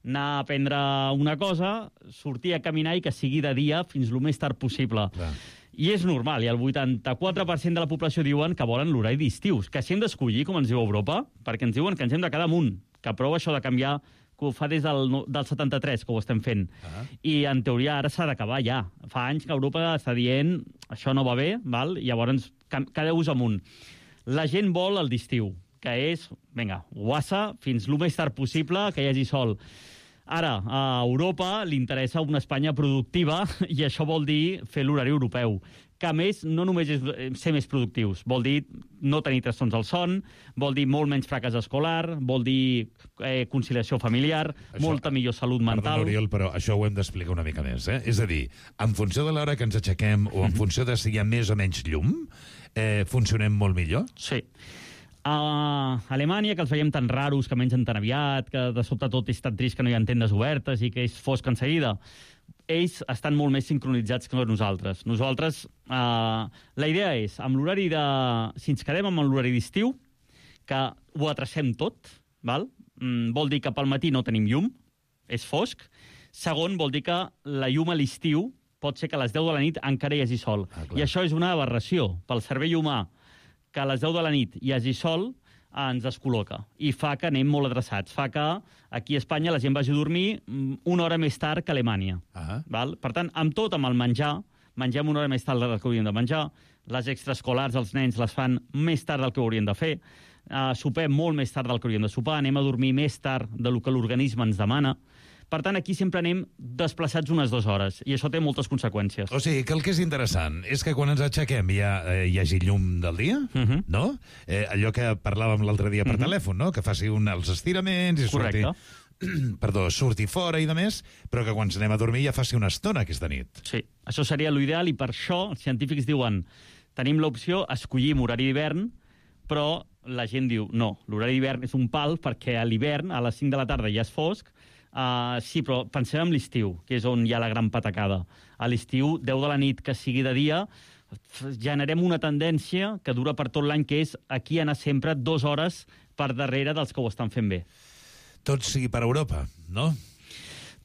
anar a prendre una cosa, sortir a caminar i que sigui de dia fins el més tard possible. Clar. I és normal, i el vuitanta-quatre per cent de la població diuen que volen l'horari d'estiu, que si hem d'escollir, com ens diu Europa, perquè ens diuen que ens hem de quedar amunt, que prou això de canviar que ho fa des del, del setanta-tres, que ho estem fent. Ah. I, en teoria, ara s'ha d'acabar ja. Fa anys que Europa està dient això no va bé, val? I llavors cada ús amunt. La gent vol el d'estiu, que és, vinga, guassa, fins el més tard possible, que hi hagi sol. Ara, a Europa li interessa una Espanya productiva i això vol dir fer l'horari europeu, que a més no només és ser més productius, vol dir no tenir trastorns al son, vol dir molt menys fracàs escolar, vol dir eh, conciliació familiar, això, molta millor salut mental... Perdona, Oriol, però això ho hem d'explicar una mica més, eh? És a dir, en funció de l'hora que ens aixequem o en funció de si hi ha més o menys llum, eh, funcionem molt millor? Sí. A Alemanya, que els veiem tan raros, que mengen tan aviat, que de sobte tot és tan trist que no hi ha tendes obertes i que és fosc en seguida, ells estan molt més sincronitzats que nosaltres. Nosaltres, eh, la idea és, amb l'horari de... si ens quedem amb l'horari d'estiu, que ho atracem tot, val? Mm, vol dir que pel matí no tenim llum, és fosc. Segon, vol dir que la llum a l'estiu pot ser que a les deu de la nit encara hi hagi sol. Ah, I això és una aberració pel cervell humà, que a les deu de la nit hi hagi sol, ens descol·loca i fa que anem molt adreçats. Fa que aquí a Espanya la gent vagi a dormir una hora més tard que a Alemanya. Uh-huh. Val? Per tant, amb tot, amb el menjar, mengem una hora més tard del que hauríem de menjar, les extraescolars, els nens, les fan més tard del que haurien de fer, uh, sopem molt més tard del que hauríem de sopar, anem a dormir més tard del que l'organisme ens demana. Per tant, aquí sempre anem desplaçats unes dues hores, i això té moltes conseqüències. O sigui, que el que és interessant és que quan ens aixequem hi, ha, eh, hi hagi llum del dia, uh-huh. no? Eh, allò que parlàvem l'altre dia per uh-huh. telèfon, no? Que faci un, els estiraments i surti, perdó, surti fora i de més, però que quan ens anem a dormir ja faci una estona aquesta nit. Sí, això seria l'ideal, i per això els científics diuen tenim l'opció, escollim horari d'hivern, però la gent diu no, l'horari d'hivern és un pal perquè a l'hivern, a les cinc de la tarda ja és fosc. Uh, sí, però pensem en l'estiu, que és on hi ha la gran patacada. A l'estiu, deu de la nit que sigui de dia, generem una tendència que dura per tot l'any, que és aquí anar sempre dues hores per darrere dels que ho estan fent bé. Tot sigui per Europa, no?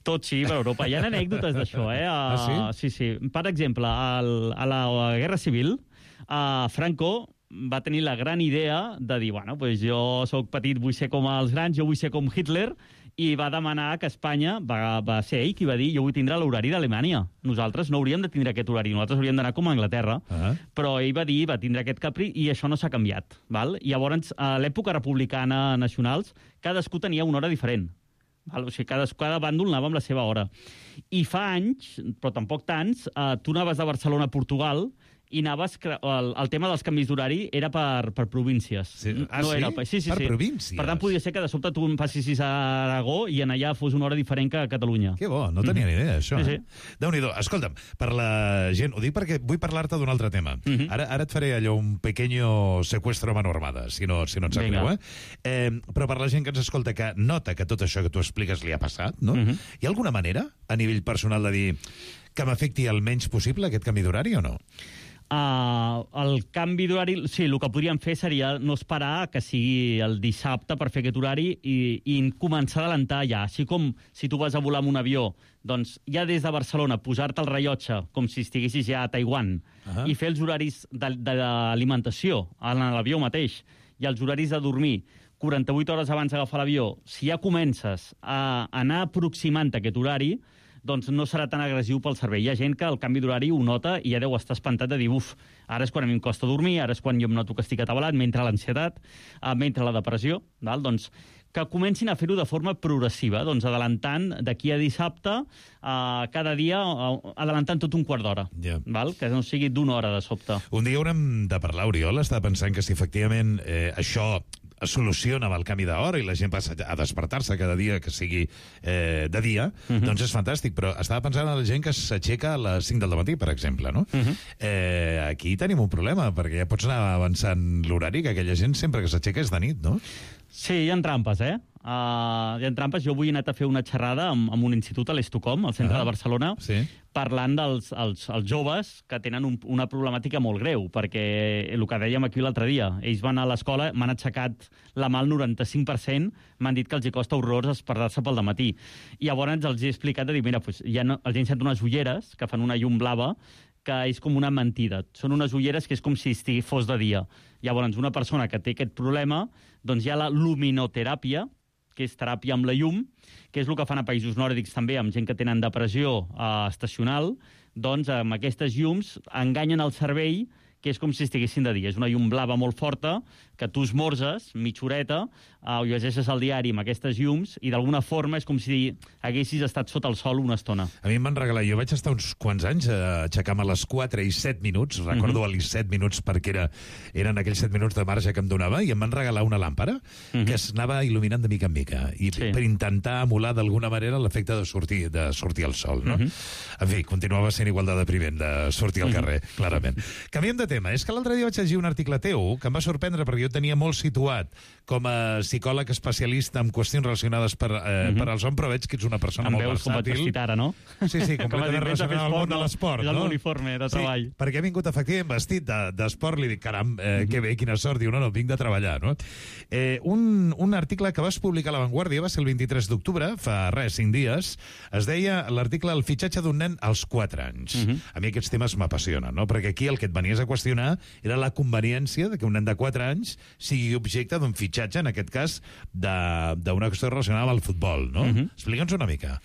Tot sigui per Europa. Hi ha anècdotes d'això, eh? Uh, ah, sí? Sí, sí. Per exemple, al, a la Guerra Civil, uh, Franco va tenir la gran idea de dir, bueno, pues jo sóc petit, vull ser com els grans, jo vull ser com Hitler, i va demanar que Espanya, va, va ser ell qui va dir jo vull tindre l'horari d'Alemanya. Nosaltres no hauríem de tindre aquest horari, nosaltres hauríem d'anar com a Anglaterra. Uh-huh. Però ell va dir, va tindre aquest capri, i això no s'ha canviat. Val? I llavors, a l'època republicana nacionals, cadascú tenia una hora diferent. Val? O sigui, cada, cada bàndol anava amb la seva hora. I fa anys, però tampoc tants, eh, tu anaves de Barcelona a Portugal i anaves... El, el tema dels canvis d'horari era per, per províncies. Sí. Ah, no sí? Era, sí, sí, per sí. províncies? Per tant, podia ser que de sobte tu em passis a Aragó i en allà fos una hora diferent que a Catalunya. Que bo, no tenia mm. ni idea, això. Sí, eh? sí. Déu-n'hi-do. Escolta'm, per la gent... Ho dic perquè vull parlar-te d'un altre tema. Mm -hmm. ara, ara et faré allò, un pequeño secuestro a mano armada, si no, si no et sap greu, eh? eh? Però per la gent que ens escolta, que nota que tot això que tu expliques li ha passat, no? Mm -hmm. Hi ha alguna manera, a nivell personal, de dir que m'afecti el menys possible aquest canvi d'horari o no? Uh, el canvi d'horari, sí, el que podríem fer seria no esperar que sigui el dissabte per fer aquest horari i, i començar a adelantar ja. Així com si tu vas a volar amb un avió, doncs ja des de Barcelona posar-te el rellotge com si estiguessis ja a Taiwan uh-huh. i fer els horaris d'alimentació en l'avió mateix i els horaris de dormir quaranta-vuit hores abans d'agafar l'avió. Si ja comences a anar aproximant aquest horari, doncs no serà tan agressiu pel cervell. Hi ha gent que el canvi d'horari ho nota i ja deu estar espantat de dir, uf, ara és quan a mi em costa dormir, ara és quan jo em noto que estic atabalat, mentre l'ansietat, eh, mentre la depressió, val? Doncs que comencin a fer-ho de forma progressiva, doncs adelantant d'aquí a dissabte, eh, cada dia, eh, adelantant tot un quart d'hora, yeah. val? Que no sigui d'una hora de sobte. Un dia haurem de parlar, Oriol, estava pensant que si efectivament eh, això es soluciona amb el canvi d'hora i la gent passa a despertar-se cada dia que sigui eh, de dia, uh-huh. doncs és fantàstic, però estava pensant en la gent que s'aixeca a les cinc del matí, per exemple, no? Uh-huh. eh, aquí tenim un problema, perquè ja pots anar avançant l'horari, que aquella gent sempre que s'aixeca és de nit, no? Sí, hi ha trampes, eh? Uh, hi ha trampes. Jo avui he anat a fer una xerrada amb, amb un institut a l'Estocolm, al centre ah, de Barcelona, sí. parlant dels els, els joves que tenen un, una problemàtica molt greu, perquè el que dèiem aquí l'altre dia, ells van a l'escola, m'han aixecat la mà al noranta-cinc per cent, m'han dit que els hi costa horrors despertar-se pel dematí. I llavors els he explicat de dir, mira, pues, ja no, els he ensenyat unes ulleres que fan una llum blava, que és com una mentida. Són unes ulleres que és com si estigui fos de dia. Llavors, una persona que té aquest problema, doncs hi ha la luminoteràpia, que és teràpia amb la llum, que és el que fan a països nòrdics també, amb gent que tenen depressió eh, estacional, doncs amb aquestes llums enganyen el cervell, que és com si estiguessin de dia. És una llum blava molt forta, que tu esmorzes, mitja horeta, eh, o llegeixes el diari amb aquestes llums, i d'alguna forma és com si haguessis estat sota el sol una estona. A mi em van regalar, jo vaig estar uns quants anys a aixecar-me a les quatre i set minuts, recordo mm -hmm. els set minuts perquè era, eren aquells set minuts de marge que em donava, i em van regalar una làmpara mm -hmm. que es anava il·luminant de mica en mica, i sí. per intentar emular d'alguna manera l'efecte de sortir, de sortir al sol, no? Mm -hmm. En fi, continuava sent igual de depriment de sortir al carrer, mm -hmm. clarament. Canviem de tema. És que l'altre dia vaig llegir un article teu que em va sorprendre perquè jo tenia molt situat com a psicòleg especialista en qüestions relacionades per, eh, mm -hmm. per al son, però veig que ets una persona em molt veus versàtil. com vaig vestit ara, no? Sí, sí, completament relacionada amb el món de l'esport. És no? l'uniforme de treball. Sí, perquè he vingut efectivament vestit d'esport, de, li dic, caram, eh, mm -hmm. que bé, quina sort. Diu, no, no, vinc de treballar, no? Eh, un, un article que vas publicar a La Vanguardia va ser el vint-i-tres d'octubre, fa res, cinc dies, es deia l'article El fitxatge d'un nen als quatre anys. Mm -hmm. A mi aquests temes m'apassionen, no? Perquè aquí el que et venies a qüestionar era la conveniència de que un nen de quatre anys sigui objecte d'un fitxatge, en aquest cas, d'una qüestió relacionada amb el futbol, no? Mm-hmm. Explica'ns una mica.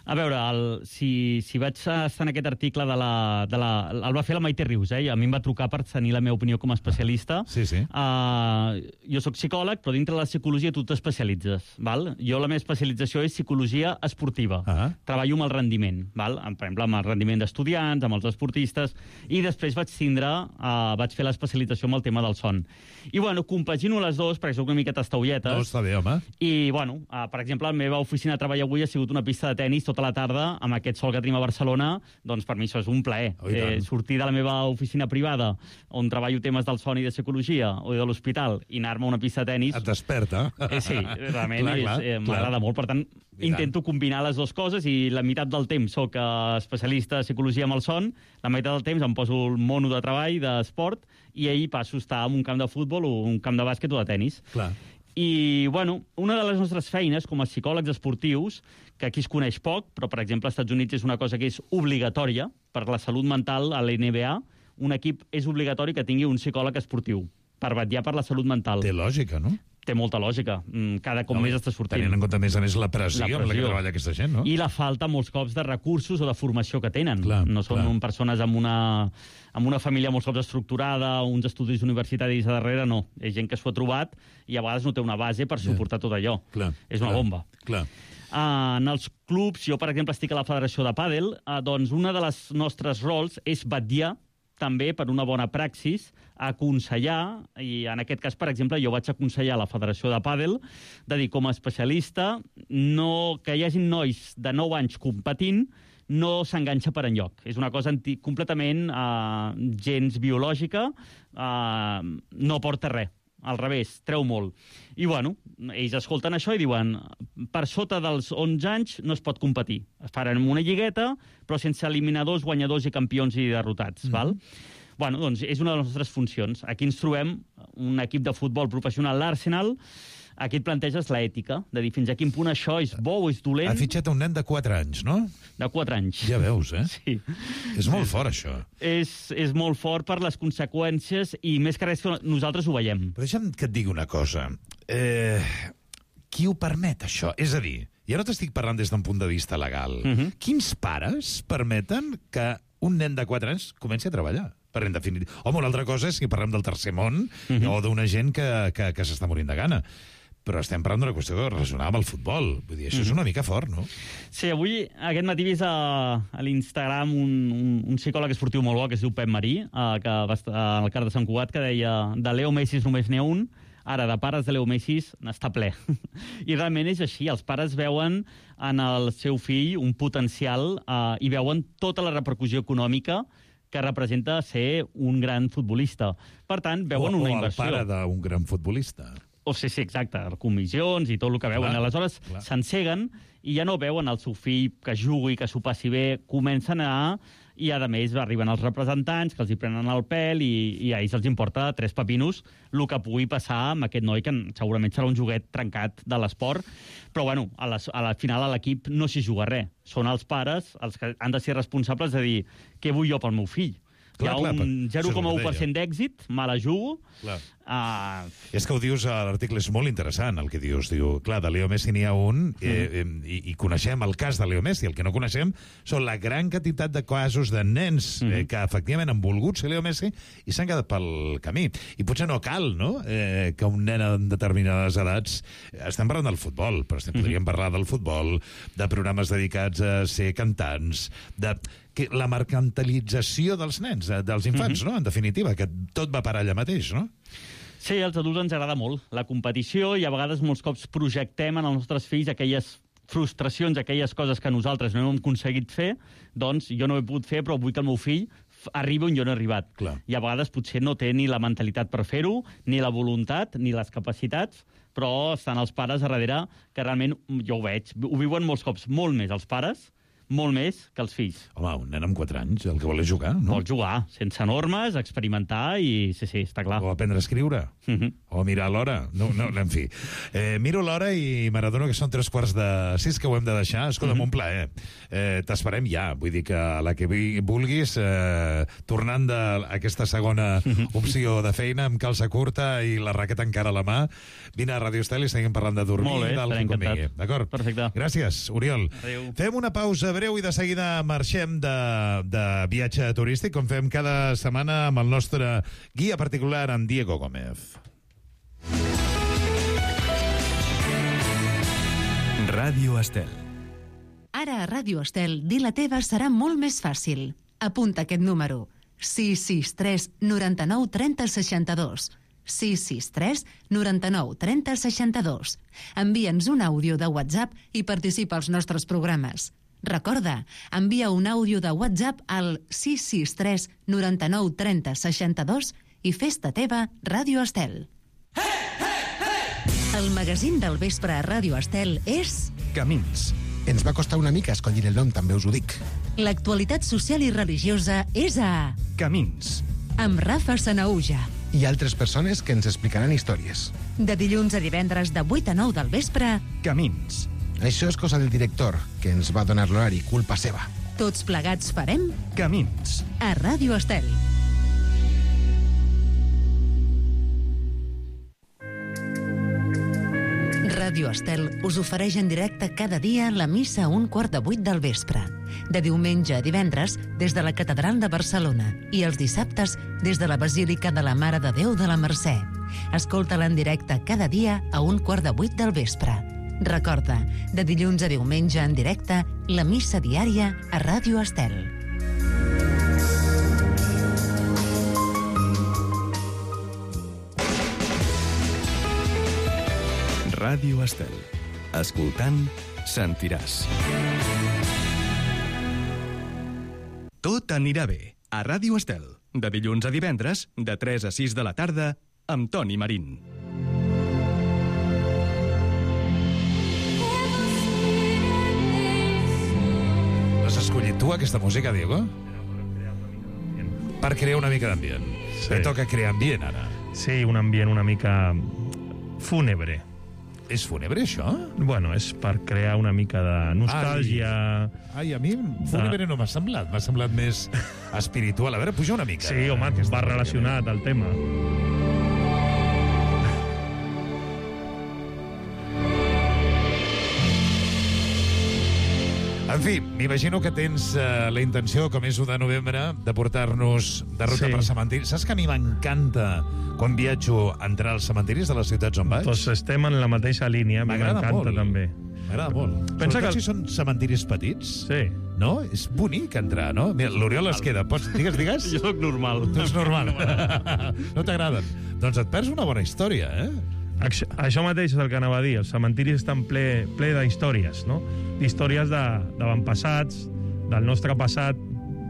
A veure, el, si, si vaig estar en aquest article de la, de la... El va fer la Maite Rius, eh? A mi em va trucar per tenir la meva opinió com a especialista. Sí, sí. Uh, jo sóc psicòleg, però dintre de la psicologia tu t'especialitzes, val? Jo la meva especialització és psicologia esportiva. Uh-huh. Treballo amb el rendiment, val? Per exemple, amb el rendiment d'estudiants, amb els esportistes, i després vaig tindre, uh, vaig fer l'especialització amb el tema del son. I, bueno, compagino les dues, perquè soc una mica tastaulletes. No, està bé, home. I, bueno, uh, per exemple, la meva oficina de treball avui ha sigut una pista de tenis tota la tarda, amb aquest sol que tenim a Barcelona, doncs per mi això és un plaer. Oh, eh, sortir de la meva oficina privada, on treballo temes del son i de psicologia, o de l'hospital, i anar-me a una pista de tenis... Et desperta. Eh, sí, realment eh, m'agrada clar. molt. Per tant, intento combinar les dues coses, i la meitat del temps soc eh, especialista de psicologia amb el son, la meitat del temps em poso el mono de treball, d'esport, i ahir passo a estar en un camp de futbol o un camp de bàsquet o de tenis. Clar. I, bueno, una de les nostres feines com a psicòlegs esportius, que aquí es coneix poc, però, per exemple, als Estats Units és una cosa que és obligatòria per la salut mental a la N B A, un equip és obligatori que tingui un psicòleg esportiu, per vetllar per la salut mental. Té lògica, no? Té molta lògica. Cada cop no, més està sortint. Tenint en compte, a més a més, la pressió, la pressió amb la que treballa aquesta gent, no? I la falta, molts cops, de recursos o de formació que tenen. Clar, no són clar. persones amb una, amb una família molts cops estructurada, uns estudis universitaris a darrere, no. És gent que s'ho ha trobat i a vegades no té una base per suportar tot allò. Clar, és una clar, bomba. Clar. Uh, en els clubs, jo, per exemple, estic a la Federació de Pàdel, uh, doncs una de les nostres rols és vetllar també per una bona praxis, aconsellar, i en aquest cas, per exemple, jo vaig aconsellar a la Federació de Pàdel de dir, com a especialista, no, que hi hagi nois de nou anys competint, no s'enganxa per enlloc. És una cosa anti, completament uh, gens biològica, uh, no porta res. Al revés, treu molt. I, bueno, ells escolten això i diuen per sota dels onze anys no es pot competir. Es faran una lligueta, però sense eliminadors, guanyadors i campions i derrotats, mm-hmm. val? Bueno, doncs és una de les nostres funcions. Aquí ens trobem un equip de futbol professional, l'Arsenal. Aquí et planteges l'ètica, de dir fins a quin punt això és bo o és dolent. Ha fitxat un nen de quatre anys, no? De quatre anys. Ja veus, eh? Sí. És molt fort, això. És, és molt fort per les conseqüències i més que res que nosaltres ho veiem. Però deixa'm que et digui una cosa. Eh, qui ho permet, això? És a dir, ja no t'estic parlant des d'un punt de vista legal. Uh-huh. Quins pares permeten que un nen de quatre anys comenci a treballar? Per en definitiva. Home, una altra cosa és si parlem del tercer món uh-huh. o d'una gent que, que, que s'està morint de gana. Però estem parlant d'una qüestió relacionada amb el futbol. Vull dir, això mm. és una mica fort, no? Sí, avui, aquest matí, he vist a, a l'Instagram un, un, un psicòleg esportiu molt bo que es diu Pep Marí, eh, que va estar al Car de Sant Cugat, que deia de Leo Messi només n'hi ha un, ara de pares de Leo Messi n'està ple. I realment és així, els pares veuen en el seu fill un potencial eh, i veuen tota la repercussió econòmica que representa ser un gran futbolista. Per tant, veuen o, una o inversió. O el pare d'un gran futbolista. O sí, sí, exacte, comissions i tot el que veuen. Clar, Aleshores s'enceguen i ja no veuen el seu fill que jugui, que s'ho passi bé, comencen a anar i, a més, arriben els representants que els hi prenen el pèl i, i a ells els importa tres pepinos el que pugui passar amb aquest noi que segurament serà un joguet trencat de l'esport. Però, bueno, a la, a la final a l'equip no s'hi juga res. Són els pares els que han de ser responsables de dir què vull jo pel meu fill. Clar, Hi ha clar, un per- zero coma u per això cent d'èxit, me la jugo. Clar. Uh, És que ho dius a l'article, és molt interessant el que dius. Diu, clar, de Leo Messi n'hi ha un, eh, eh, i, i coneixem el cas de Leo Messi. El que no coneixem són la gran quantitat de casos de nens eh, que efectivament han volgut ser Leo Messi i s'han quedat pel camí. I potser no cal, no?, eh, que un nen en determinades edats... Estem parlant del futbol, però estem, podríem parlar del futbol, de programes dedicats a ser cantants, de que la mercantilització dels nens, eh, dels infants, no?, en definitiva, que tot va parar allà mateix, no? Sí, als adults ens agrada molt la competició i a vegades molts cops projectem en els nostres fills aquelles frustracions, aquelles coses que nosaltres no hem aconseguit fer, doncs jo no ho he pogut fer, però vull que el meu fill arribi on jo no he arribat. Clar. I a vegades potser no té ni la mentalitat per fer-ho, ni la voluntat, ni les capacitats, però estan els pares a darrere que realment, jo ho veig, ho viuen molts cops molt més els pares, molt més que els fills. Home, un nen amb quatre anys, el que vol és jugar, no? Vol jugar, sense normes, experimentar i sí, sí, està clar. O aprendre a escriure. Uh -huh. O mirar l'hora. No, no, en fi. Eh, miro l'hora i m'adono que són tres quarts de sis que ho hem de deixar. Escolta'm, uh -huh. un plaer. Eh, T'esperem ja. Vull dir que a la que vulguis, eh, tornant d'aquesta segona opció de feina amb calça curta i la raqueta encara a la mà, vine a Radio Estel i seguim parlant de dormir Molt bé, i del estaré que convingui. encantat. D'acord? Perfecte. Gràcies, Oriol. Adéu. Fem una pausa breu i de seguida marxem de, de viatge turístic, com fem cada setmana amb el nostre guia particular, en Diego Gómez. Ràdio Estel. Ara a Ràdio Estel, dir la teva serà molt més fàcil. Apunta aquest número. sis sis tres noranta-nou trenta seixanta-dos. sis sis tres noranta-nou trenta seixanta-dos. Envia'ns un àudio de WhatsApp i participa als nostres programes. Recorda, envia un àudio de WhatsApp al sis sis tres noranta-nou trenta seixanta-dos i fes-te teva Ràdio Estel. El magazín del vespre a Ràdio Estel és... Camins. Ens va costar una mica escollir el nom, també us ho dic. L'actualitat social i religiosa és a... Camins. Amb Rafa Sanaúja. I altres persones que ens explicaran històries. De dilluns a divendres de vuit a nou del vespre... Camins. Això és cosa del director, que ens va donar l'horari, culpa seva. Tots plegats farem... Camins. A Ràdio Estel. Ràdio Estel us ofereix en directe cada dia la missa a un quart de vuit del vespre. De diumenge a divendres des de la Catedral de Barcelona i els dissabtes des de la Basílica de la Mare de Déu de la Mercè. Escolta-la en directe cada dia a un quart de vuit del vespre. Recorda, de dilluns a diumenge en directe, la missa diària a Ràdio Estel. Ràdio Estel. Escoltant, sentiràs. Tot anirà bé. A Ràdio Estel. De dilluns a divendres, de tres a sis de la tarda, amb Toni Marín. L'has escollit tu, aquesta música, Diego? Per crear una mica d'ambient. Sí. Et toca crear ambient, ara. Sí, un ambient una mica fúnebre. És fúnebre, això? Bueno, és per crear una mica de nostàlgia. Ai, Ai a mi fúnebre no m'ha semblat. M'ha semblat més espiritual. A veure, puja una mica. Sí, home, que va relacionat al tema. En fi, m'imagino que tens uh, la intenció, com és u de novembre, de portar-nos de ruta Sí. per cementiri. Saps que a mi m'encanta, quan viatjo, entrar als cementiris de les ciutats on vaig? Doncs estem en la mateixa línia, a mi M'agrada m'encanta molt. també. M'agrada molt. Pensa Sobretot que- si són cementiris petits. Sí. No? És bonic entrar, no? Mira, l'Oriol es queda. Pots, digues, digues? Jo sóc normal. Tu ets normal. No t'agraden. Doncs et perds una bona història, eh? Això, això mateix és el que anava a dir. Els cementiris estan ple, ple d'històries, no? D'històries de- d'avantpassats, del nostre passat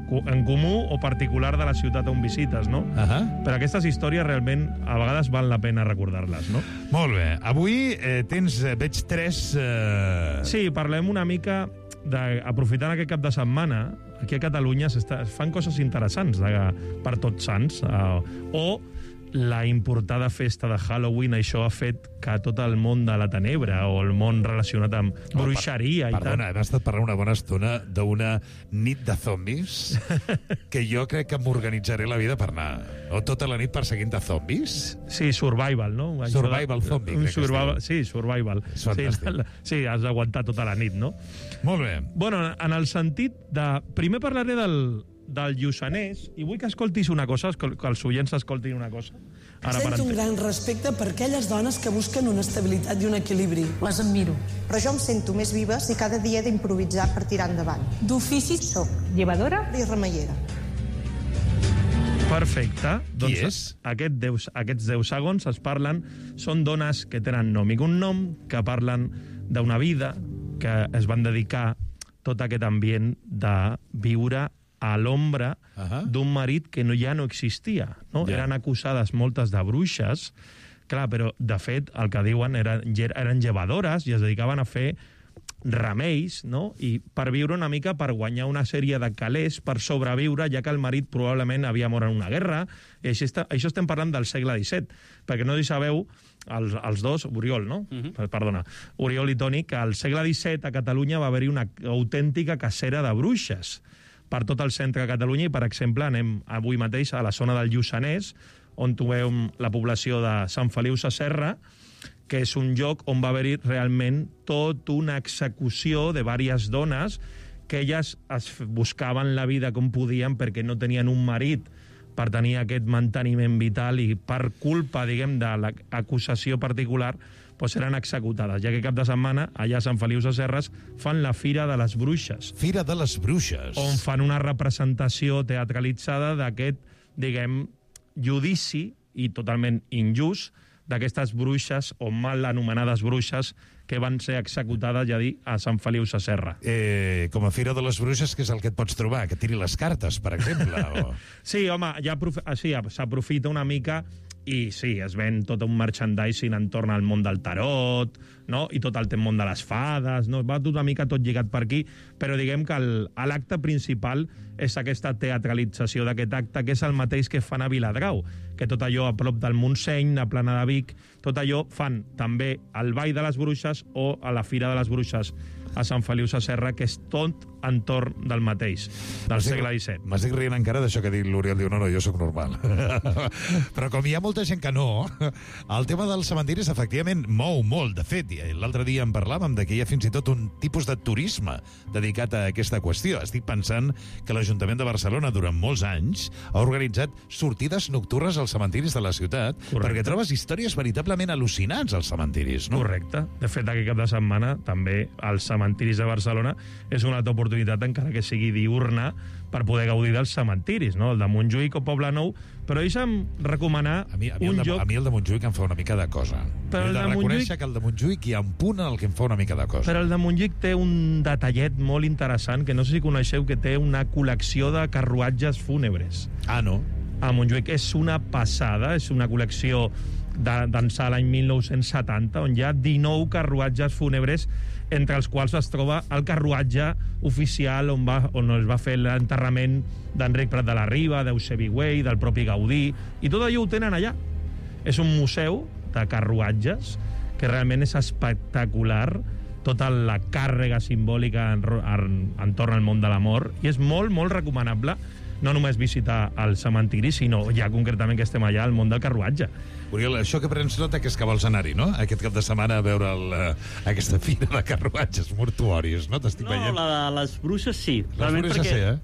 co- en comú o particular de la ciutat on visites, no? Uh -huh. Però aquestes històries realment a vegades val la pena recordar-les, no? Molt bé. Avui eh, tens, eh, veig tres... Eh... Sí, parlem una mica de, aprofitant aquest cap de setmana, aquí a Catalunya s'està- es fan coses interessants de, per tots sants, eh, o la importada festa de Halloween, això ha fet que tot el món de la tenebra o el món relacionat amb Oh, bruixeria per, i perdona, tal... hem estat parlant una bona estona d'una nit de zombis que jo crec que m'organitzaré la vida per anar. O tota la nit perseguint de zombis. Sí, survival, no? Això Survival de- zombie, un crec que es survival, diu. Sí, survival. És fantàstic. Sí, sí, has d'aguantar tota la nit, no? Molt bé. Bueno, en el sentit de... Primer parlaré del, del Lluçanès, i vull que escoltis una cosa, que els oients escoltin una cosa. Ara per Sento un entendre. gran respecte per aquelles dones que busquen una estabilitat i un equilibri. Les admiro. Però jo em sento més viva si cada dia he d'improvisar per tirar endavant. D'ofici Soc llevadora i remeiera. Perfecte. Qui Doncs és? Aquest deu, aquests deu segons es parlen, són dones que tenen nom i cognom, que parlen d'una vida, que es van dedicar tot aquest ambient de viure a l'ombra uh -huh. d'un marit que no, ja no existia. No? Ja. Eren acusades moltes de bruixes, clar, però de fet el que diuen eren, eren llevadores i es dedicaven a fer remeis, no? I per viure una mica, per guanyar una sèrie de calés, per sobreviure, ja que el marit probablement havia mort en una guerra. I això, està, això estem parlant del segle disset, perquè no hi sabeu, els, els dos, Oriol, no? Uh -huh. Perdona, Oriol i Toni, que al segle disset a Catalunya va haver-hi una autèntica cacera de bruixes per tot el centre de Catalunya i, per exemple, anem avui mateix a la zona del Lluçanès, on trobem la població de Sant Feliu Sasserra, que és un lloc on va haver-hi realment tot una execució de diverses dones que elles es buscaven la vida com podien perquè no tenien un marit per tenir aquest manteniment vital i per culpa, diguem, de l'acusació particular doncs eren executades, ja que cap de setmana allà a Sant Feliu Sasserres fan la Fira de les Bruixes. Fira de les Bruixes. On fan una representació teatralitzada d'aquest, diguem, judici i totalment injust d'aquestes bruixes o mal anomenades bruixes que van ser executades, ja dir, a Sant Feliu Sasserra. Eh, com a Fira de les Bruixes, què és el que et pots trobar? Que tiri les cartes, per exemple? O... Sí, home, ja sí, s'aprofita una mica i sí, es ven tot un merchandising entorn al món del tarot, no? I tot el món de les fades, no? Va tot una mica tot lligat per aquí, però diguem que l'acte principal és aquesta teatralització d'aquest acte, que és el mateix que fan a Viladrau, que tot allò a prop del Montseny, a Plana de Vic, tot allò fan també al Ball de les Bruixes o a la Fira de les Bruixes a Sant Feliu Sasserra, que és tot entorn del mateix, del segle disset. M'estic rient encara d'això que ha dit l'Oriol, diu, no, no, jo sóc normal. Però com hi ha molta gent que no, el tema dels cementiris efectivament mou molt. De fet, l'altre dia en parlàvem de que hi ha fins i tot un tipus de turisme dedicat a aquesta qüestió. Estic pensant que l'Ajuntament de Barcelona durant molts anys ha organitzat sortides nocturnes als cementiris de la ciutat. Correcte. Perquè trobes històries veritablement al·lucinants als cementiris, no? Correcte. De fet, aquest cap de setmana també als cementiris de Barcelona és una altra oportunitat, encara que sigui diurna, per poder gaudir dels cementiris, no? El de Montjuïc o Poblenou, però deixa'm recomanar a mi, a mi un el de, lloc... A mi el de Montjuïc em fa una mica de cosa. Però He de, el de reconèixer Montjuïc... que el de Montjuïc hi ha un punt en el que em fa una mica de cosa. Però el de Montjuïc té un detallet molt interessant, que no sé si coneixeu, que té una col·lecció de carruatges fúnebres. Ah, no? A Montjuïc és una passada, és una col·lecció d'ençà l'any mil nou-cents setanta, on hi ha dinou carruatges fúnebres, entre els quals es troba el carruatge oficial on, va, on es va fer l'enterrament d'Enric Prat de la Riba, d'Eusebi Güell, del propi Gaudí, i tot allò ho tenen allà. És un museu de carruatges que realment és espectacular, tota la càrrega simbòlica en, en, entorn al món de la mort, i és molt, molt recomanable no només visitar el cementiri, sinó ja concretament que estem allà al món del carruatge. Oriol, això que prens nota que és que vols anar-hi, no? Aquest cap de setmana a veure el, uh, aquesta fira de carruatges mortuoris, no? T'estic no, veient. No, la de les bruixes sí. Les bruixes sí, eh?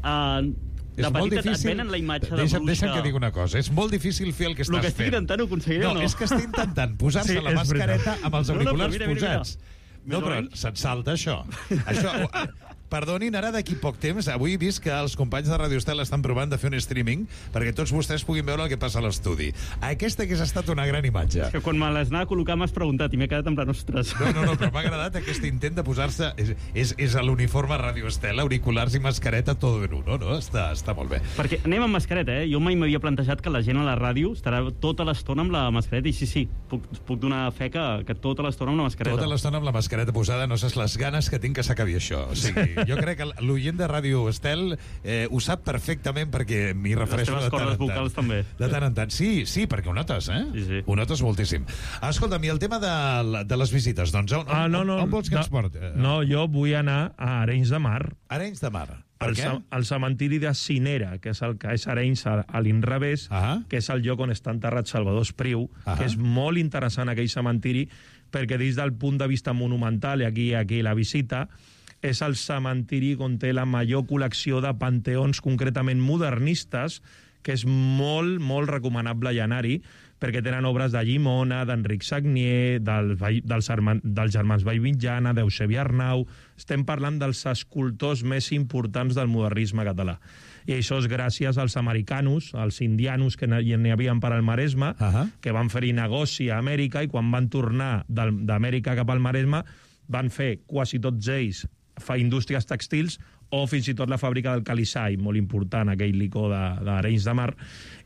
Uh, de petita et venen la imatge de deixa, bruixa... Deixa'm que digui una cosa. És molt difícil fer el que estàs fent. El que estic intentant ho aconseguiré no, o no? és que estic intentant posar-se sí, la mascareta veritat. amb els auriculars no, no, mira, posats. Mira, no, però se't salta això. Això... Perdonin, ara d'aquí poc temps, avui he vist que els companys de Radio Estel estan provant de fer un streaming perquè tots vostès puguin veure el que passa a l'estudi. Aquesta hagués estat una gran imatge. És que quan me les anava a col·locar m'has preguntat i m'he quedat en plan, ostres. No, no, no, però m'ha agradat aquest intent de posar-se... És, és, és a l'uniforme Radio Estel, auriculars i mascareta, tot en uno, no? Està, està molt bé. Perquè anem amb mascareta, eh? Jo mai m'havia plantejat que la gent a la ràdio estarà tota l'estona amb la mascareta, i sí, sí, puc, puc donar fe que, que tota l'estona amb la mascareta. Tota l'estona amb la mascareta posada, no saps les ganes que tinc que s'acabi això. O sigui... Jo crec que l'oient de Ràdio Estel eh, ho sap perfectament perquè m'hi refereixo de tant en tant. Les teves cordes vocals també. De tant en tant. Sí, sí, perquè ho notes, eh? Sí, sí. Ho notes moltíssim. Escolta'm, i el tema de, de les visites, doncs on, Ah, no, no, on, on vols que no, ens porti? No, jo vull anar a Arenys de Mar. Arenys de Mar. Per al, què? al cementiri de Cinera, que és el que és Arenys a, a l'inrevés, ah. que és el lloc on està enterrat Salvador Espriu, ah. que és molt interessant aquell cementiri, perquè des del punt de vista monumental, i aquí, aquí la visita, és el cementiri on té la major col·lecció de panteons concretament modernistes, que és molt, molt recomanable anar-hi, perquè tenen obres de Llimona, d'Enric Sagnier, del, dels, dels germans Vallmitjana, d'Eusebi Arnau. Estem parlant dels escultors més importants del modernisme català. I això és gràcies als americanos, als indianos que n'hi havia per al Maresme, uh -huh. que van fer-hi negoci a Amèrica, i quan van tornar d'Amèrica cap al Maresme van fer quasi tots ells fa indústries textils o fins i tot la fàbrica del Calisai, molt important, aquell licor d'Arenys de, de Mar,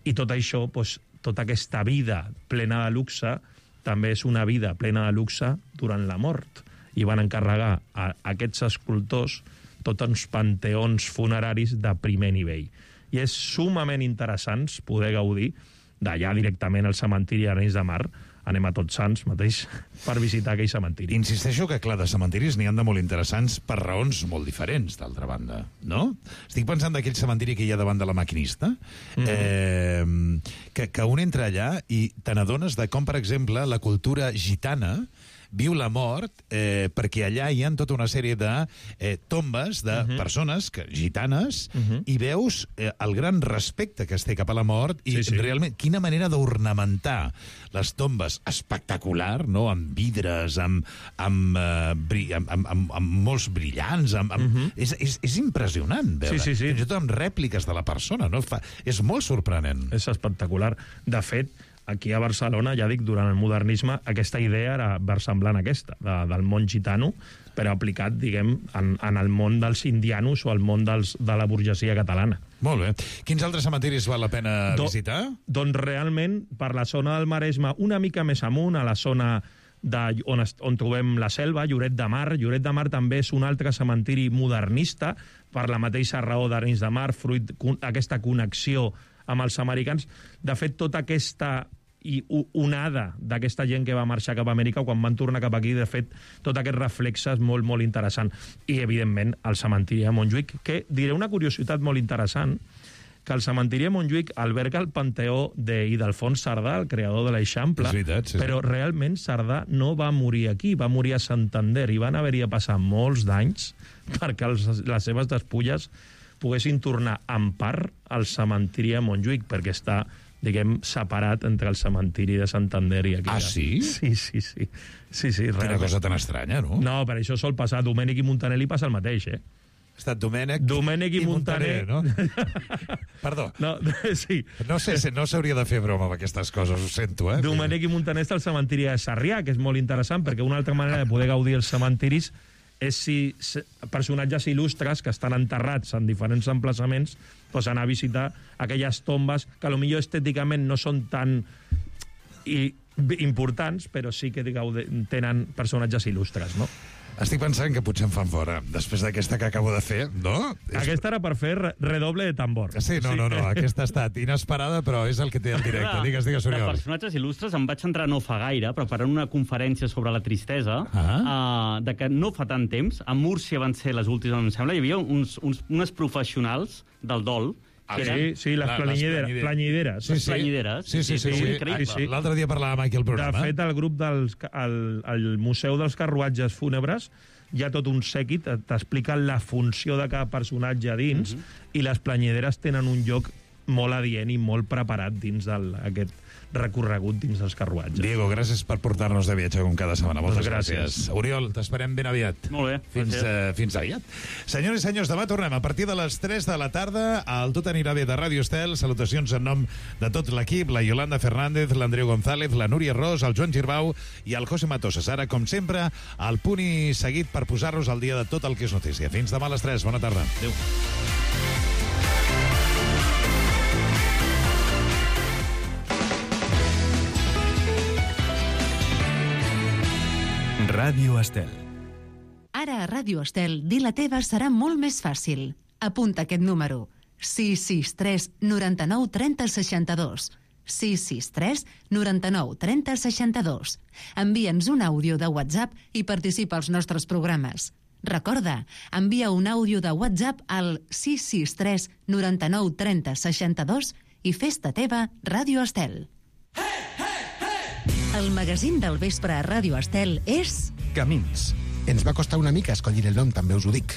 i tot això, doncs, tota aquesta vida plena de luxe també és una vida plena de luxe durant la mort. I van encarregar a aquests escultors tots uns panteons funeraris de primer nivell. I és sumament interessant poder gaudir d'allà directament al cementiri d'Arenys de Mar. Anem a Tots Sants mateix per visitar aquell cementiri. Insisteixo que, clar, de cementiris n'hi han de molt interessants per raons molt diferents, d'altra banda, no? Estic pensant d'aquell cementiri que hi ha davant de la Maquinista, mm-hmm. eh, que, que un entra allà i te n'adones de com, per exemple, la cultura gitana viu la mort, eh, perquè allà hi ha tota una sèrie de eh, tombes de uh-huh. persones que, gitanes, uh-huh. i veus eh, el gran respecte que es té cap a la mort, i sí, sí. realment, quina manera d'ornamentar les tombes espectacular, no?, amb vidres, amb, amb, uh, bri amb, amb, amb, amb molts brillants, amb, amb... Uh-huh. és, és, és impressionant veure, sí, sí, sí. fins i tot amb rèpliques de la persona, no? Fa... és molt sorprenent. És espectacular. De fet, aquí a Barcelona, ja dic, durant el modernisme, aquesta idea era versemblant a aquesta, de, del món gitano, però aplicat, diguem, en, en el món dels indianos o el món dels, de la burgesia catalana. Molt bé. Quins altres cementiris val la pena Do, visitar? Doncs realment, per la zona del Maresme, una mica més amunt, a la zona de, on, on trobem la Selva, Lloret de Mar. Lloret de Mar també és un altre cementiri modernista, per la mateixa raó d'Arenys de Mar, fruit d'aquesta connexió amb els americans. De fet, tota aquesta i onada d'aquesta gent que va marxar cap a Amèrica, quan van tornar cap aquí, de fet, tot aquest reflexe és molt, molt interessant. I, evidentment, el cementiri de Montjuïc, que diré una curiositat molt interessant, que el cementiri de Montjuïc alberga el panteó d'Ildefons Cerdà, el creador de l'Eixample, sí, sí. però realment Cerdà no va morir aquí, va morir a Santander, i van haver-hi a passar molts d'anys perquè els, les seves despulles poguessin tornar en part al cementiri de Montjuïc, perquè està, diguem, separat entre el cementiri de Santander i aquí. Ah, sí? Sí, sí, sí. sí, sí Quina cosa tan estranya, no? No, per això sol passar. Domènec i Montaner li passa el mateix, eh? Ha estat Domènec, Domènec i, i Montaner, Montaner, no? Perdó. No, sí. No sé, no s'hauria de fer broma amb aquestes coses, ho sento, eh? Domènec i Montaner està al cementiri de Sarrià, que és molt interessant, perquè una altra manera de poder gaudir els cementiris és si personatges il·lustres que estan enterrats en diferents emplaçaments, doncs anar a visitar aquelles tombes que potser estèticament no són tan i, importants, però sí que tenen personatges il·lustres, no? Estic pensant que potser em fan fora, després d'aquesta que acabo de fer, no? Aquesta era per fer redoble de tambor. Sí, no, no, no, aquesta ha estat inesperada, però és el que té el directe. Digues, digues, Oriol. De personatges il·lustres em vaig entrar no fa gaire, preparant una conferència sobre la tristesa, ah. uh, de que no fa tant temps, a Múrcia van ser les últimes, em sembla, hi havia uns, uns, unes professionals del dol. Ah, sí, sí, les planyideres. planyideres. Sí, sí. planyideres. Sí, sí, sí. sí, sí. sí. L'altre dia parlàvem aquí al programa. De fet, el grup del el, el Museu dels Carruatges Fúnebres hi ha tot un sèquit, t'expliquen la funció de cada personatge dins, uh-huh. i les planyideres tenen un lloc molt adient i molt preparat dins d'aquest recorregut dins dels carruatges. Diego, gràcies per portar-nos de viatge com cada setmana. Moltes gràcies. gràcies. Oriol, t'esperem ben aviat. Molt bé. Fins, uh, fins aviat. Senyors i senyors, demà tornem a partir de les tres de la tarda al Tot anirà bé de Ràdio Estel. Salutacions en nom de tot l'equip, la Yolanda Fernández, l'Andreu González, la Núria Ros, el Joan Girbau i el José Matosas. Ara, com sempre, al punt i seguit per posar-nos al dia de tot el que és notícia. Fins demà a les tres. Bona tarda. Adéu. Ràdio Estel. Ara a Ràdio Estel, dir la teva serà molt més fàcil. Apunta aquest número. sis sis tres noranta-nou trenta seixanta-dos. sis sis tres noranta-nou trenta seixanta-dos. Envia'ns un àudio de WhatsApp i participa als nostres programes. Recorda, envia un àudio de WhatsApp al sis sis tres noranta-nou trenta seixanta-dos i fes-te teva Ràdio Estel. El magazín del vespre a Ràdio Estel és... Camins. Ens va costar una mica escollir el nom, també us ho dic.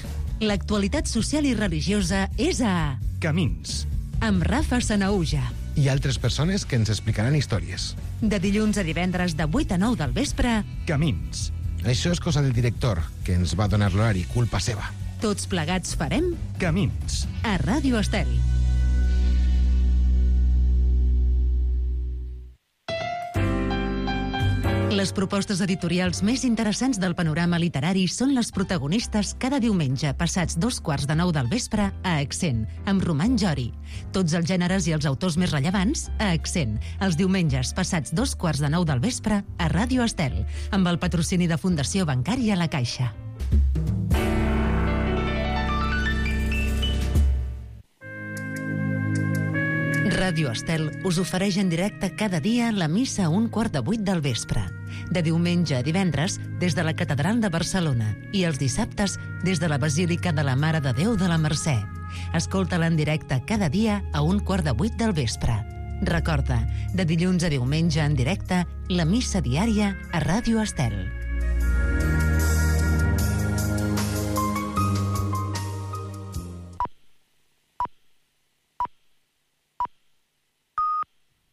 L'actualitat social i religiosa és a... Camins. Amb Rafa Sanaúja. I altres persones que ens explicaran històries. De dilluns a divendres de vuit a nou del vespre... Camins. Això és cosa del director, que ens va donar l'horari, culpa seva. Tots plegats farem... Camins. A Ràdio Estel. Les propostes editorials més interessants del panorama literari són les protagonistes cada diumenge passats dos quarts de nou del vespre a Accent, amb Roman Jori. Tots els gèneres i els autors més rellevants a Accent, els diumenges passats dos quarts de nou del vespre a Ràdio Estel, amb el patrocini de Fundació Bancària La Caixa. Ràdio Estel us ofereix en directe cada dia la missa a un quart de vuit del vespre. De diumenge a divendres, des de la Catedral de Barcelona i els dissabtes des de la Basílica de la Mare de Déu de la Mercè. Escolta-la en directe cada dia a un quart de vuit del vespre. Recorda, de dilluns a diumenge en directe, la missa diària a Ràdio Estel.